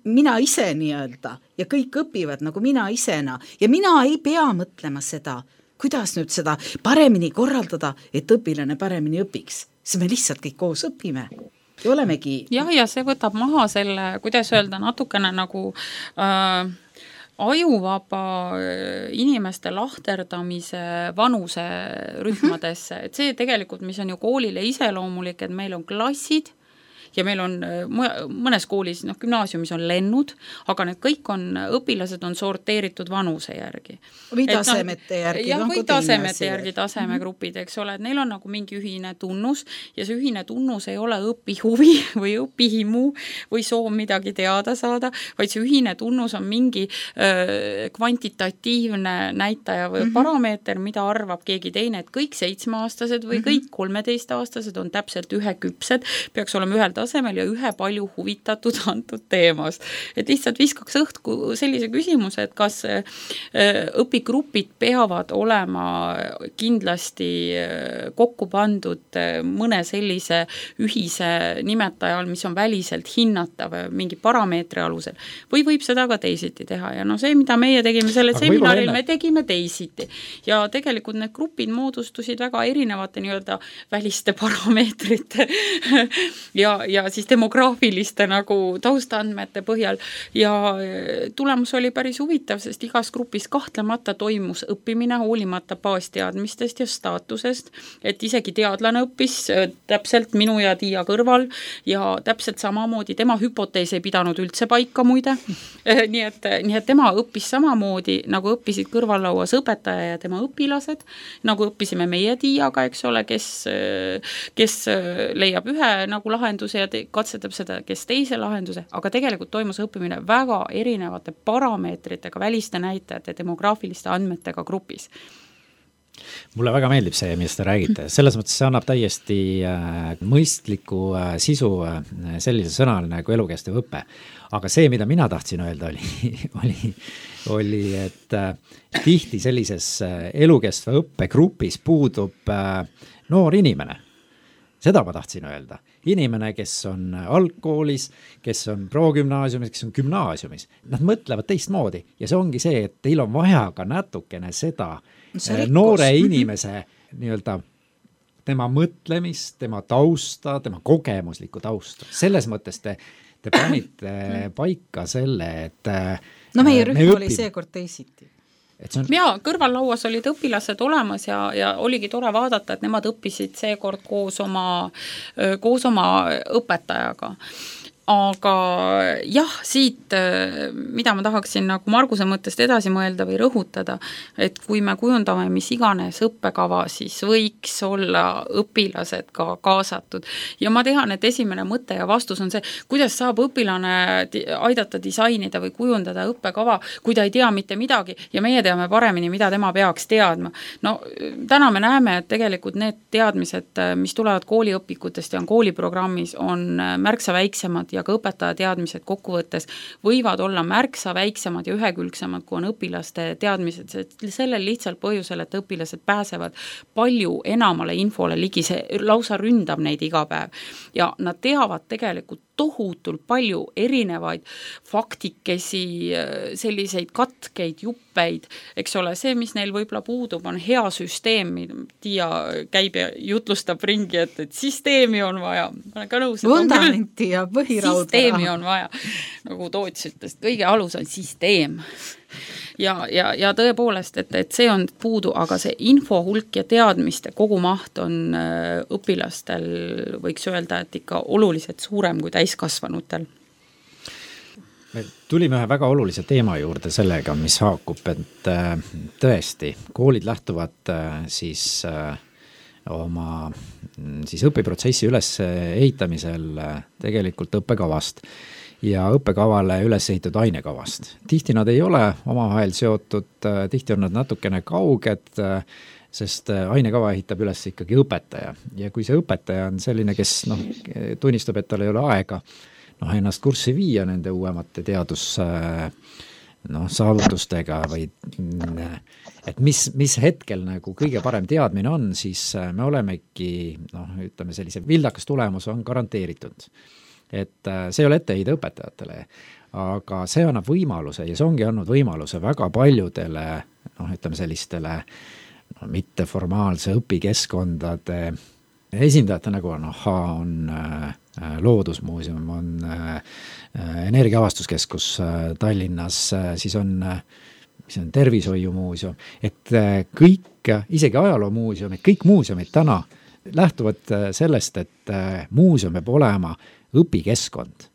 mina ise nii-öelda ja kõik õpivad nagu mina isena ja mina ei pea mõtlema seda, kuidas nüüd seda paremini korraldada, et õpilane paremini õpiks. See me lihtsalt kõik koos õpime. Ja olemegi. jah, ja see võtab maha selle, kuidas öelda, natukene nagu äh, ajuvaba inimeste lahterdamise vanuse rühmadesse, et see tegelikult, mis on ju koolile iseloomulik, et meil on klassid ja meil on mõnes koolis, noh, gümnaasiumis on lennud, aga need kõik on, õpilased on sorteeritud vanuse järgi. Või tasemete järgi. Ja või tasemete järgi, tasemegrupid, eks ole, et neil on nagu mingi ühine tunnus ja see ühine tunnus ei ole õpihuvi või õpihimu või soov midagi teada saada, vaid see ühine tunnus on mingi öö, kvantitatiivne näitaja või mm-hmm. parameeter, mida arvab keegi teine, et kõik seitsmeaastased või mm-hmm. kõik kolmeteistaastased on täpselt üheküpsed, peaks olema ühel tasemel ja ühe palju huvitatud antud teemast. Et lihtsalt viskaks õhku sellise küsimuse, et kas õpigrupid peavad olema kindlasti kokku pandud mõne sellise ühise nimetajal, mis on väliselt hinnatav mingi parameetri alusel. Või võib seda ka teisiti teha ja no see, mida meie tegime sellel seminaril, me tegime teisiti. Ja tegelikult need grupid moodustusid väga erinevate nii-öelda väliste parameetrite ja ja siis demograafiliste nagu taustandmete põhjal ja tulemus oli päris huvitav, sest igas grupis kahtlemata toimus õppimine hoolimata baasteadmistest ja staatusest, et isegi teadlane õppis täpselt minu ja Tiia kõrval ja täpselt samamoodi tema hüpotees ei pidanud üldse paika muide, nii et, nii et tema õppis samamoodi, nagu õppisid kõrvallauas õpetaja ja tema õpilased, nagu õppisime meie Tiiaga, eks ole, kes, kes leiab ühe nagu lahenduse ja te, katsetab seda, kes teise lahenduse, aga tegelikult toimus õppimine väga erinevate parameetritega, väliste näitajate, demograafiliste andmetega grupis. Mulle väga meeldib see, mis te räägite. Selles mõttes see annab täiesti äh, mõistliku äh, sisu äh, sellise sõnal nagu elukestev õppe. Aga see, mida mina tahtsin öelda, oli, oli, oli et äh, tihti sellises äh, elukestva õppegrupis puudub äh, noor inimene. Seda ma tahtsin öelda. Inimene, kes on algkoolis, kes on progümnaasiumis, kes on gümnaasiumis, nad mõtlevad teistmoodi ja see ongi see, et teil on vaja ka natukene seda see noore inimese nii-öelda tema mõtlemist, tema tausta, tema kogemuslikku tausta. Selles mõttes te, te panite paika selle, et no meie rühm me oli seekord teisiti. On... ja kõrvallauas olid õpilased olemas ja, ja oligi tore vaadata, et nemad õppisid seekord koos oma, koos oma õpetajaga. aga jah, siit, mida ma tahaksin nagu Marguse mõttest edasi mõelda või rõhutada, et kui me kujundame mis iganes õppekava, siis võiks olla õpilased ka kaasatud. Ja ma tean, et esimene mõte ja vastus on see, kuidas saab õpilane aidata disainida või kujundada õppekava, kui ta ei tea mitte midagi ja meie teame paremini, mida tema peaks teadma. No täna me näeme, et tegelikult need teadmised, mis tulevad kooliõpikutest ja on kooliprogrammis, on märksa väiksemad ja ka õpetaja teadmised kokkuvõttes võivad olla märksa väiksemad ja ühekülgsemad, kui on õpilaste teadmised, sellel lihtsalt põhjusel, et õpilased pääsevad palju enamale infole ligi, see lausa ründab neid iga päev ja nad teavad tegelikult tohutult palju erinevaid faktikesi, selliseid katkeid, juppeid, eks ole, see, mis neil võib-olla puudub, on hea süsteem, Tiia käib ja jutlustab ringi, et, et süsteemi on vaja. Ma olen ka nõus, vundamenti ja põhirauda. Süsteemi on vaja, nagu Toots ütles, kõige alus on süsteem. Ja, ja, ja tõepoolest, et, et see on puudu, aga see info hulk ja teadmiste kogumaht on õpilastel, võiks öelda, et ikka oluliselt suurem kui täiskasvanutel. Me tulime ühe väga olulise teema juurde sellega, mis haakub, et tõesti, koolid lähtuvad siis oma siis õpiprotsessi üles ehitamisel tegelikult õppekavast ja õppekavale üles ehitatud ainekavast. Tihti nad ei ole omavahel seotud, tihti on nad natukene kauged, sest ainekava ehitab üles ikkagi õpetaja. Ja kui see õpetaja on selline, kes noh, tunnistab, et tal ei ole aega noh, ennast kurssi viia nende uuemate teadus noh, saavutustega või et mis, mis hetkel nagu kõige parem teadmine on, siis me olemegi noh, ütleme sellise vildakas tulemus on garanteeritud. Et see ei ole etteheide õpetajatele, aga see annab võimaluse ja see ongi andnud võimaluse väga paljudele noh, ütleme sellistele no, mitteformaalse õpikeskkondade esindajate nagu on, aha, on äh, Loodusmuuseum, on äh, Energiaavastuskeskus äh, Tallinnas, äh, siis on, äh, mis on Tervishoiumuuseum, et äh, kõik, isegi ajaloomuuseumid, kõik muuseumid täna lähtuvad sellest, et äh, muuseum peab olema õpikeskkond.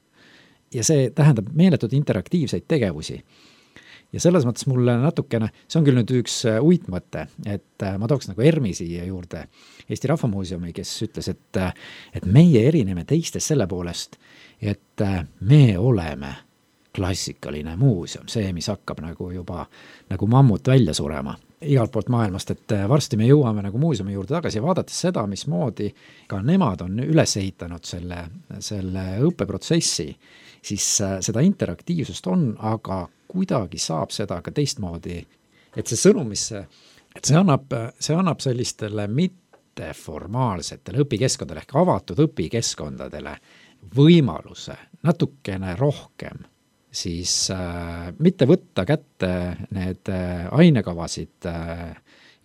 Ja see tähendab meeletud interaktiivseid tegevusi. Ja selles mõttes mulle natukene, see on küll nüüd üks uitmõte, et ma tooks nagu Ermi siia juurde, Eesti Rahvamuuseumi, kes ütles, et, et meie erineme teistest selle poolest, et me oleme klassikaline muuseum, see, mis hakkab nagu juba nagu mammut välja surema igalt poolt maailmast, et varsti me jõuame nagu muuseumi juurde tagasi ja vaadates seda, mismoodi ka nemad on üles ehitanud selle, selle õppeprotsessi, siis seda interaktiivsust on, aga kuidagi saab seda ka teistmoodi, et see sõnum, mis see, et see annab, see annab sellistele mitteformaalsetele õpikeskkondadele ehk avatud õpikeskkondadele võimaluse natukene rohkem siis äh, mitte võtta kätte need äh, ainekavasid äh,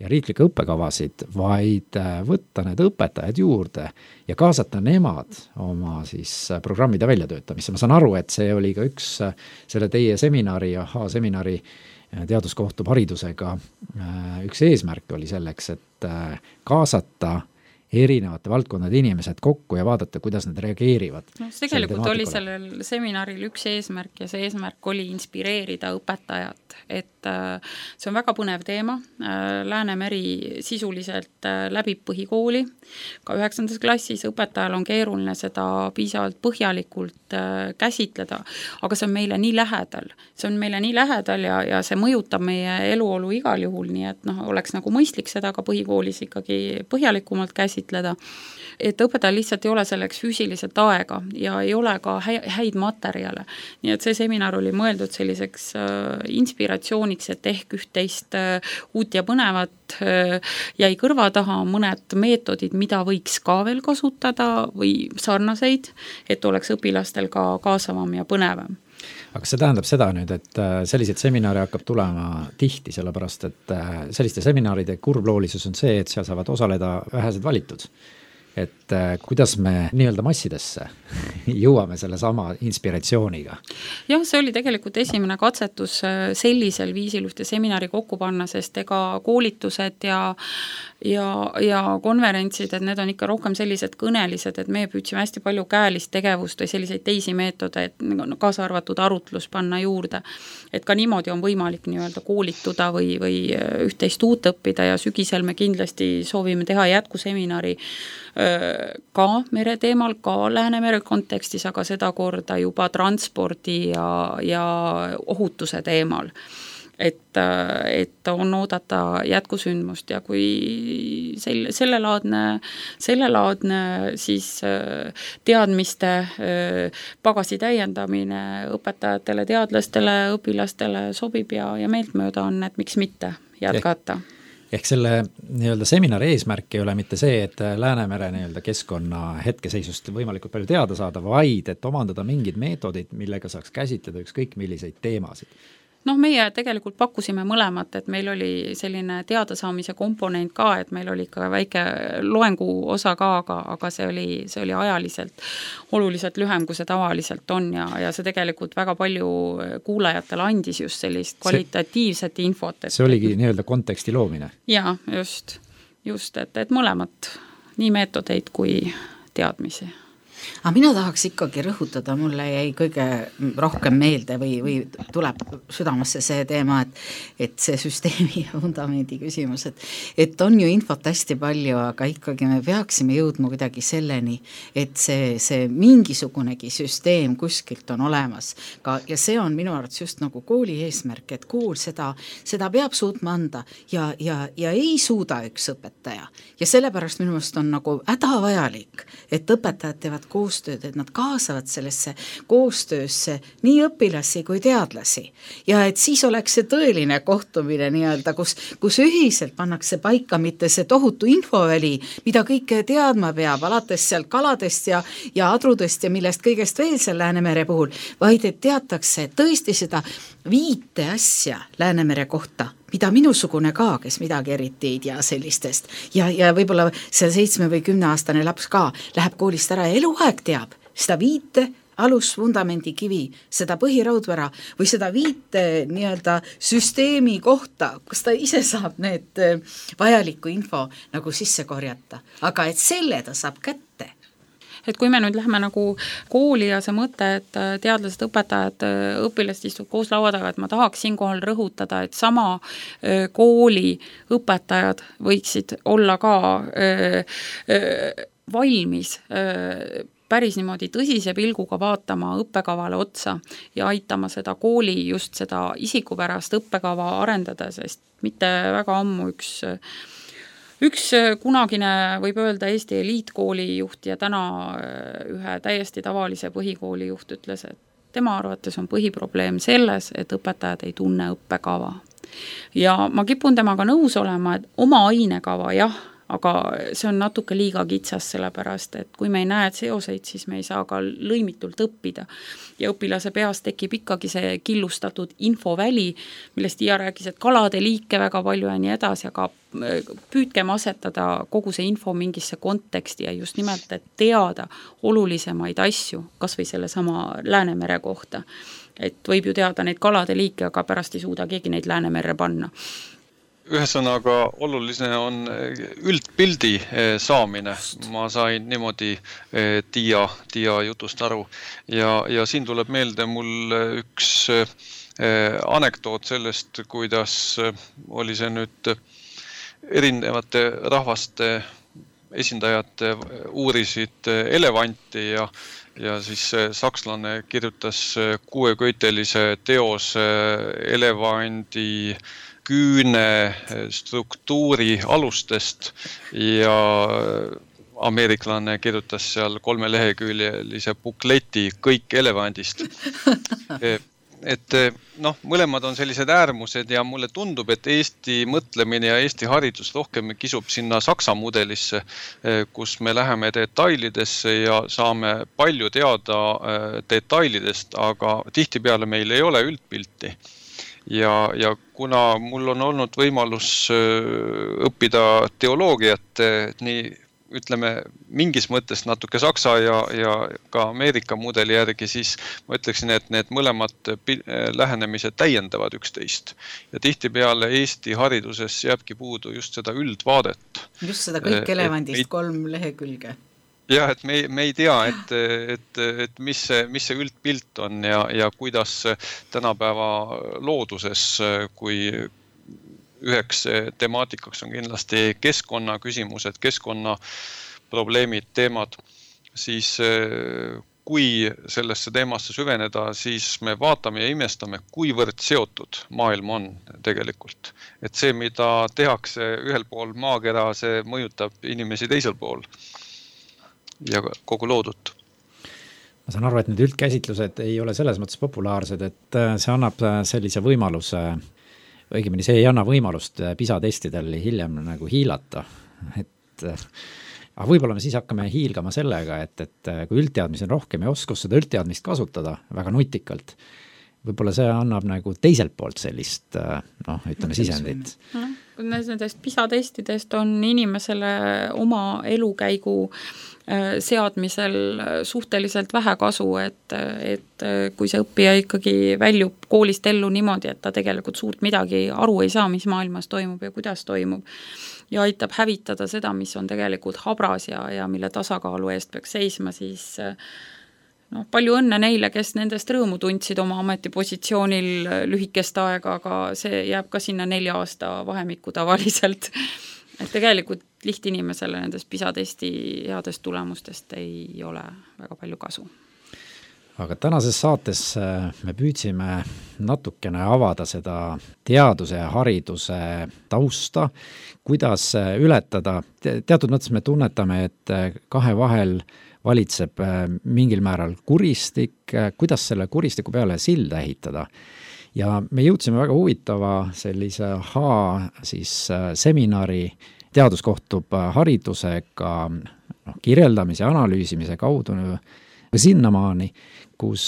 ja riiklikke õppekavasid, vaid äh, võtta need õpetajad juurde ja kaasata nemad oma siis äh, programmide väljatöötamisse. Ma saan aru, et see oli ka üks äh, selle teie seminari, aha, seminari äh, Teadus kohtub haridusega äh, üks eesmärk oli selleks, et äh, kaasata erinevate valdkondade inimesed kokku ja vaadata, kuidas nad reageerivad. No, tegelikult oli sellel seminaril üks eesmärk ja see eesmärk oli inspireerida õpetajat, et see on väga põnev teema. Läänemeri sisuliselt läbib põhikooli, ka üheksandas klassis õpetajal on keeruline seda piisavalt põhjalikult käsitleda, aga see on meile nii lähedal. See on meile nii lähedal ja, ja see mõjutab meie eluolu igal juhul, nii et noh, oleks nagu mõistlik seda ka põhikoolis ikkagi põhjalikumalt käsitleda, et õpetajal lihtsalt ei ole selleks füüsiliselt aega ja ei ole ka häid materjale. Nii et see seminar oli mõeldud selliseks inspiratsiooniks, et ehk üht-teist uut ja põnevat jäi kõrva taha mõned meetodid, mida võiks ka veel kasutada või sarnaseid, et oleks õpilastel ka kaasavam ja põnevam. Aga see tähendab seda nüüd, et selliseid seminare hakkab tulema tihti, sellepärast et selliste seminaride kurbloolisus on see, et seal saavad osaleda vähesed valitud. Et kuidas me nii-öelda massidesse jõuame selle sama inspiratsiooniga? Jah, see oli tegelikult esimene katsetus sellisel viisil ühte seminari kokku panna, sest ega koolitused ja ja, ja konverentsid, et need on ikka rohkem sellised kõnelised, et me püüdsime hästi palju käelist tegevust või selliseid teisi meetodeid, kaasa arvatud arutlus panna juurde. Et ka niimoodi on võimalik nii-öelda koolituda või, või üht-teist uut õppida ja sügisel me kindlasti soovime teha jätkuseminari ka mere teemal, ka Läänemere kontekstis, aga seda korda juba transpordi ja, ja ohutuse teemal. Et, et on oodata jätkusündmust ja kui selle, sellelaadne, sellelaadne siis teadmiste pagasi täiendamine õpetajatele, teadlastele, õpilastele sobib ja, ja meeltmööda on, et miks mitte jätkata. Ehk selle nii-öelda seminari eesmärk ei ole mitte see, et Läänemere nii-öelda keskkonna hetkeseisust võimalikult palju teada saada, vaid et omandada mingid meetodid, millega saaks käsitleda ükskõik milliseid teemasid. Noh, meie tegelikult pakkusime mõlemat, et meil oli selline teadasaamise komponent ka, et meil oli ka väike loengu osa ka, aga, aga see oli, see oli ajaliselt oluliselt lühem, kui see tavaliselt on ja, ja see tegelikult väga palju kuulajatele andis just sellist kvalitatiivset see, infot. Et, see oligi nii-öelda konteksti loomine. Jaa, just, just, et, et mõlemat, nii meetodeid kui teadmisi. Aga mina tahaks ikkagi rõhutada, mulle jäi kõige rohkem meelde või, või tuleb südamasse see teema, et, et see süsteemi ja fundamendi küsimus, et, et on ju infot hästi palju, aga ikkagi me peaksime jõudma kuidagi selleni, et see, see mingisugunegi süsteem kuskilt on olemas. Ka, ja see on minu arvates just nagu kooli eesmärk, et kool seda, seda peab suutma anda ja, ja, ja ei suuda üks õpetaja. Ja sellepärast minu meelest on nagu hädavajalik, et õpetajad teevad koostööd, et nad kaasavad sellesse koostöösse nii õpilasi kui teadlasi. Ja et siis oleks see tõeline kohtumine nii-öelda, kus, kus ühiselt pannakse paika mitte see tohutu infoväli, mida kõike teadma peab, alates seal kaladest ja, ja adrudest ja millest kõigest veel seal Läänemere puhul, vaid et teatakse tõesti seda viite asja Läänemere kohta, mida minusugune ka, kes midagi eriti ei tea sellistest. Ja, ja võib-olla see seitsme või kümne aastane laps ka läheb koolist ära ja eluaeg teab seda viite, alusvundamendi kivi, seda põhiraudvara või seda viite nii-öelda süsteemi kohta, kus ta ise saab need vajaliku info nagu sisse korjata. Aga et selle ta saab kätte. Et kui me nüüd lähme nagu kooli ja see mõte, et teadlased, õpetajad, õpilased istuvad koos laua taga, et ma tahaks siinkohal rõhutada, et sama kooli õpetajad võiksid olla ka öö, öö, valmis öö, päris niimoodi tõsise pilguga vaatama õppekavale otsa ja aitama seda kooli just seda isikupärast õppekava arendada, sest mitte väga ammu üks Üks kunagine, võib öelda, Eesti eliitkooli juht ja täna ühe täiesti tavalise põhikooli juht ütles, et tema arvates on põhiprobleem selles, et õpetajad ei tunne õppekava. Ja ma kipun temaga nõus olema, et oma ainekava jah, aga see on natuke liiga kitsas sellepärast, et kui me ei näe seoseid, siis me ei saa ka lõimitult õppida. Ja õpilase peas tekib ikkagi see killustatud infoväli, millest Iia rääkis, et kalade liike väga palju ja nii edasi, aga püüdkem asetada kogu see info mingisse konteksti ja just nimelt, et teada olulisemaid asju, kas või selle sama Läänemere kohta. Et võib ju teada neid kalade liike, aga pärast ei suuda keegi neid Läänemere panna. Ühesõnaga oluline on üldpildi saamine. Ma sain niimoodi Tiia, Tiia jutust aru ja, ja siin tuleb meelde mul üks anekdoot sellest, kuidas oli see nüüd erinevate rahvaste esindajad uurisid elevanti ja ja siis sakslane kirjutas kuueköitelise teose elevandi küüne struktuuri alustest ja ameeriklane kirjutas seal kolmeleheküljelise bukleti kõik elevandist. Et noh, mõlemad on sellised äärmused ja mulle tundub, et Eesti mõtlemine ja Eesti haridus rohkem kisub sinna Saksa mudelisse, kus me läheme detailidesse ja saame palju teada detailidest, aga tihtipeale meil ei ole üldpilti. Ja, ja kuna mul on olnud võimalus õppida teoloogiat nii ütleme, mingis mõttes natuke Saksa ja, ja ka Ameerika mudeli järgi, siis ma ütleksin, et need mõlemad lähenemised täiendavad üksteist. Ja tihtipeale Eesti hariduses jääbki puudu just seda üldvaadet. Just seda kõik elevandist et, kolm lehekülge. Jah, et me, me ei tea, et, et, et mis see, mis see üldpilt on ja, ja kuidas tänapäeva looduses, kui üheks temaatikaks on kindlasti keskkonna küsimused, keskkonna probleemid, teemad, siis kui sellesse teemasse süveneda, siis me vaatame ja imestame, kuivõrd seotud maailm on tegelikult. Et see, mida tehakse ühel pool maakera, see mõjutab inimesi teisel pool ja kogu loodut. Ma saan aru, et need üldkäsitlused ei ole selles mõttes populaarsed, et see annab sellise võimaluse, õigemini see ei anna võimalust PISA testidel hiljem nagu hiilata, et aga võib-olla me siis hakkame hiilgama sellega, et, et kui üldteadmisi on rohkem ja oskus seda üldteadmist kasutada väga nutikalt, võib-olla see annab nagu teiselt poolt sellist, noh, ütleme sisendit. Nendest PISA testidest on inimesele oma elukäigu seadmisel suhteliselt vähe kasu, et, et kui see õppija ikkagi väljub koolist ellu niimoodi, et ta tegelikult suurt midagi aru ei saa, mis maailmas toimub ja kuidas toimub ja aitab hävitada seda, mis on tegelikult habras ja, ja mille tasakaalu eest peaks seisma, siis no, palju õnne neile, kes nendest rõõmu tundsid oma ametipositsioonil lühikest aega, aga see jääb ka sinna nelja aasta vahemikku tavaliselt. Et tegelikult lihtinimesele nendest PISA testi headest tulemustest ei ole väga palju kasu. Aga tänases saates me püüdsime natukene avada seda teaduse ja hariduse tausta, kuidas ületada. Teatud mõttes me tunnetame, et kahe vahel valitseb mingil määral kuristik, kuidas selle kuristiku peale silda ehitada. Ja me jõudsime väga huvitava sellise aha siis seminari, teadus kohtub haridusega no, kirjeldamise, analüüsimise kaudu sinnamaani, kus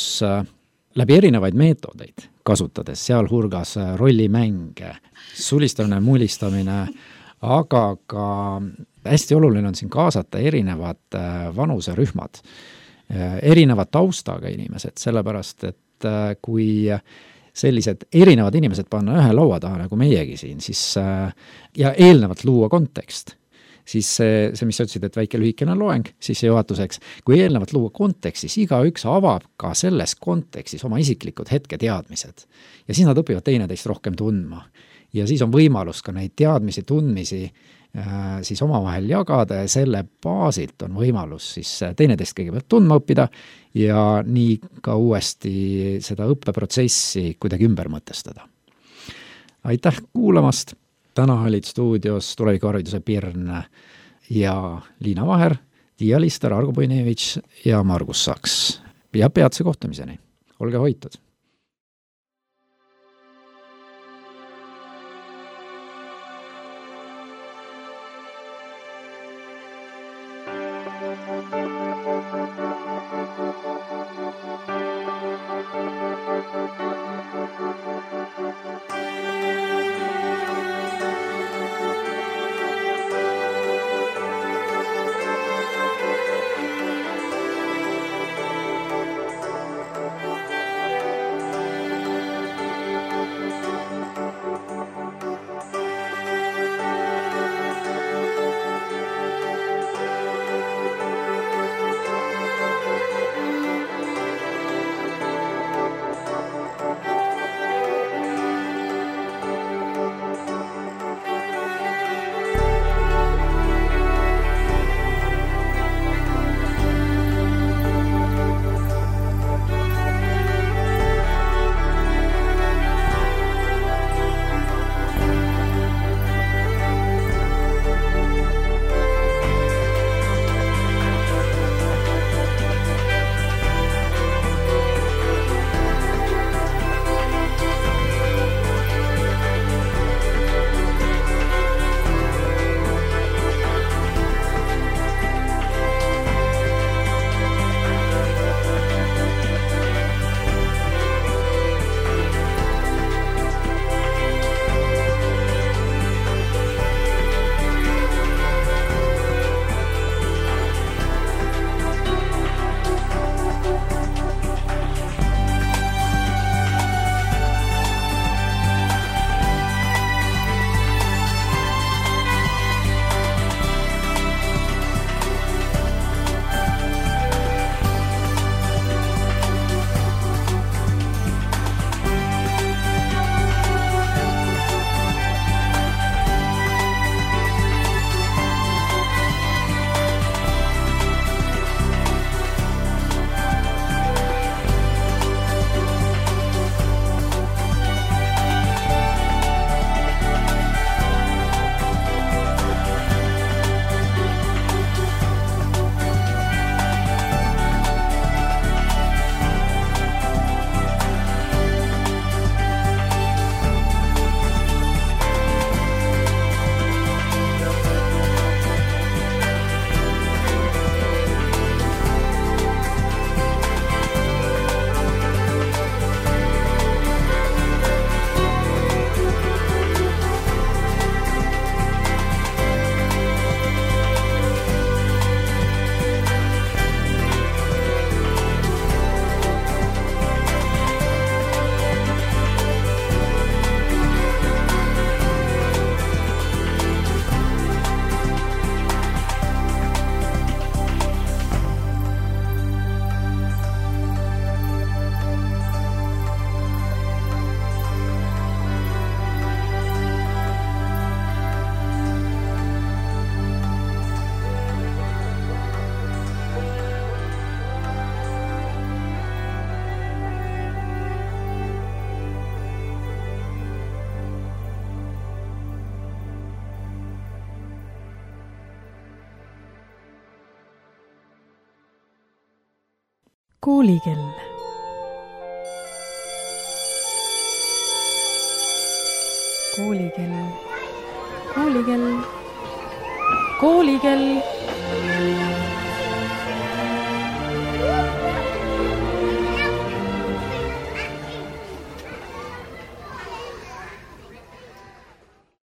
läbi erinevaid meetodeid kasutades, sealhulgas rollimänge, sulistamine, mullistamine, aga ka hästi oluline on siin kaasata erinevad vanuserühmad, erinevad taustaga inimesed, sellepärast, et kui sellised erinevad inimesed panna ühe laua taha, nagu meiegi siin, siis ja eelnevalt luua kontekst, siis see, see mis sa ütlesid, et väike lühikene loeng, siis see juhatuseks, kui eelnevalt luua kontekst, siis igaüks avab ka selles kontekstis oma isiklikud hetketeadmised. Ja siis nad õpivad teineteist rohkem tundma. Ja siis on võimalus ka neid teadmisi, tundmisi siis omavahel jagada ja selle baasilt on võimalus siis teineteist kõigepealt tundma õppida ja nii ka uuesti seda õppeprotsessi kuidagi ümber mõtestada. Aitäh kuulamast! Täna olid stuudios tulevikuhariduse Pirn ja Liina Vaher, Tiia Lister, Argo Puinevitš ja Margus Saks. Ja peatse kohtumiseni. Olge hoitud! Koolikell. Koolikell. Koolikell. Koolikell.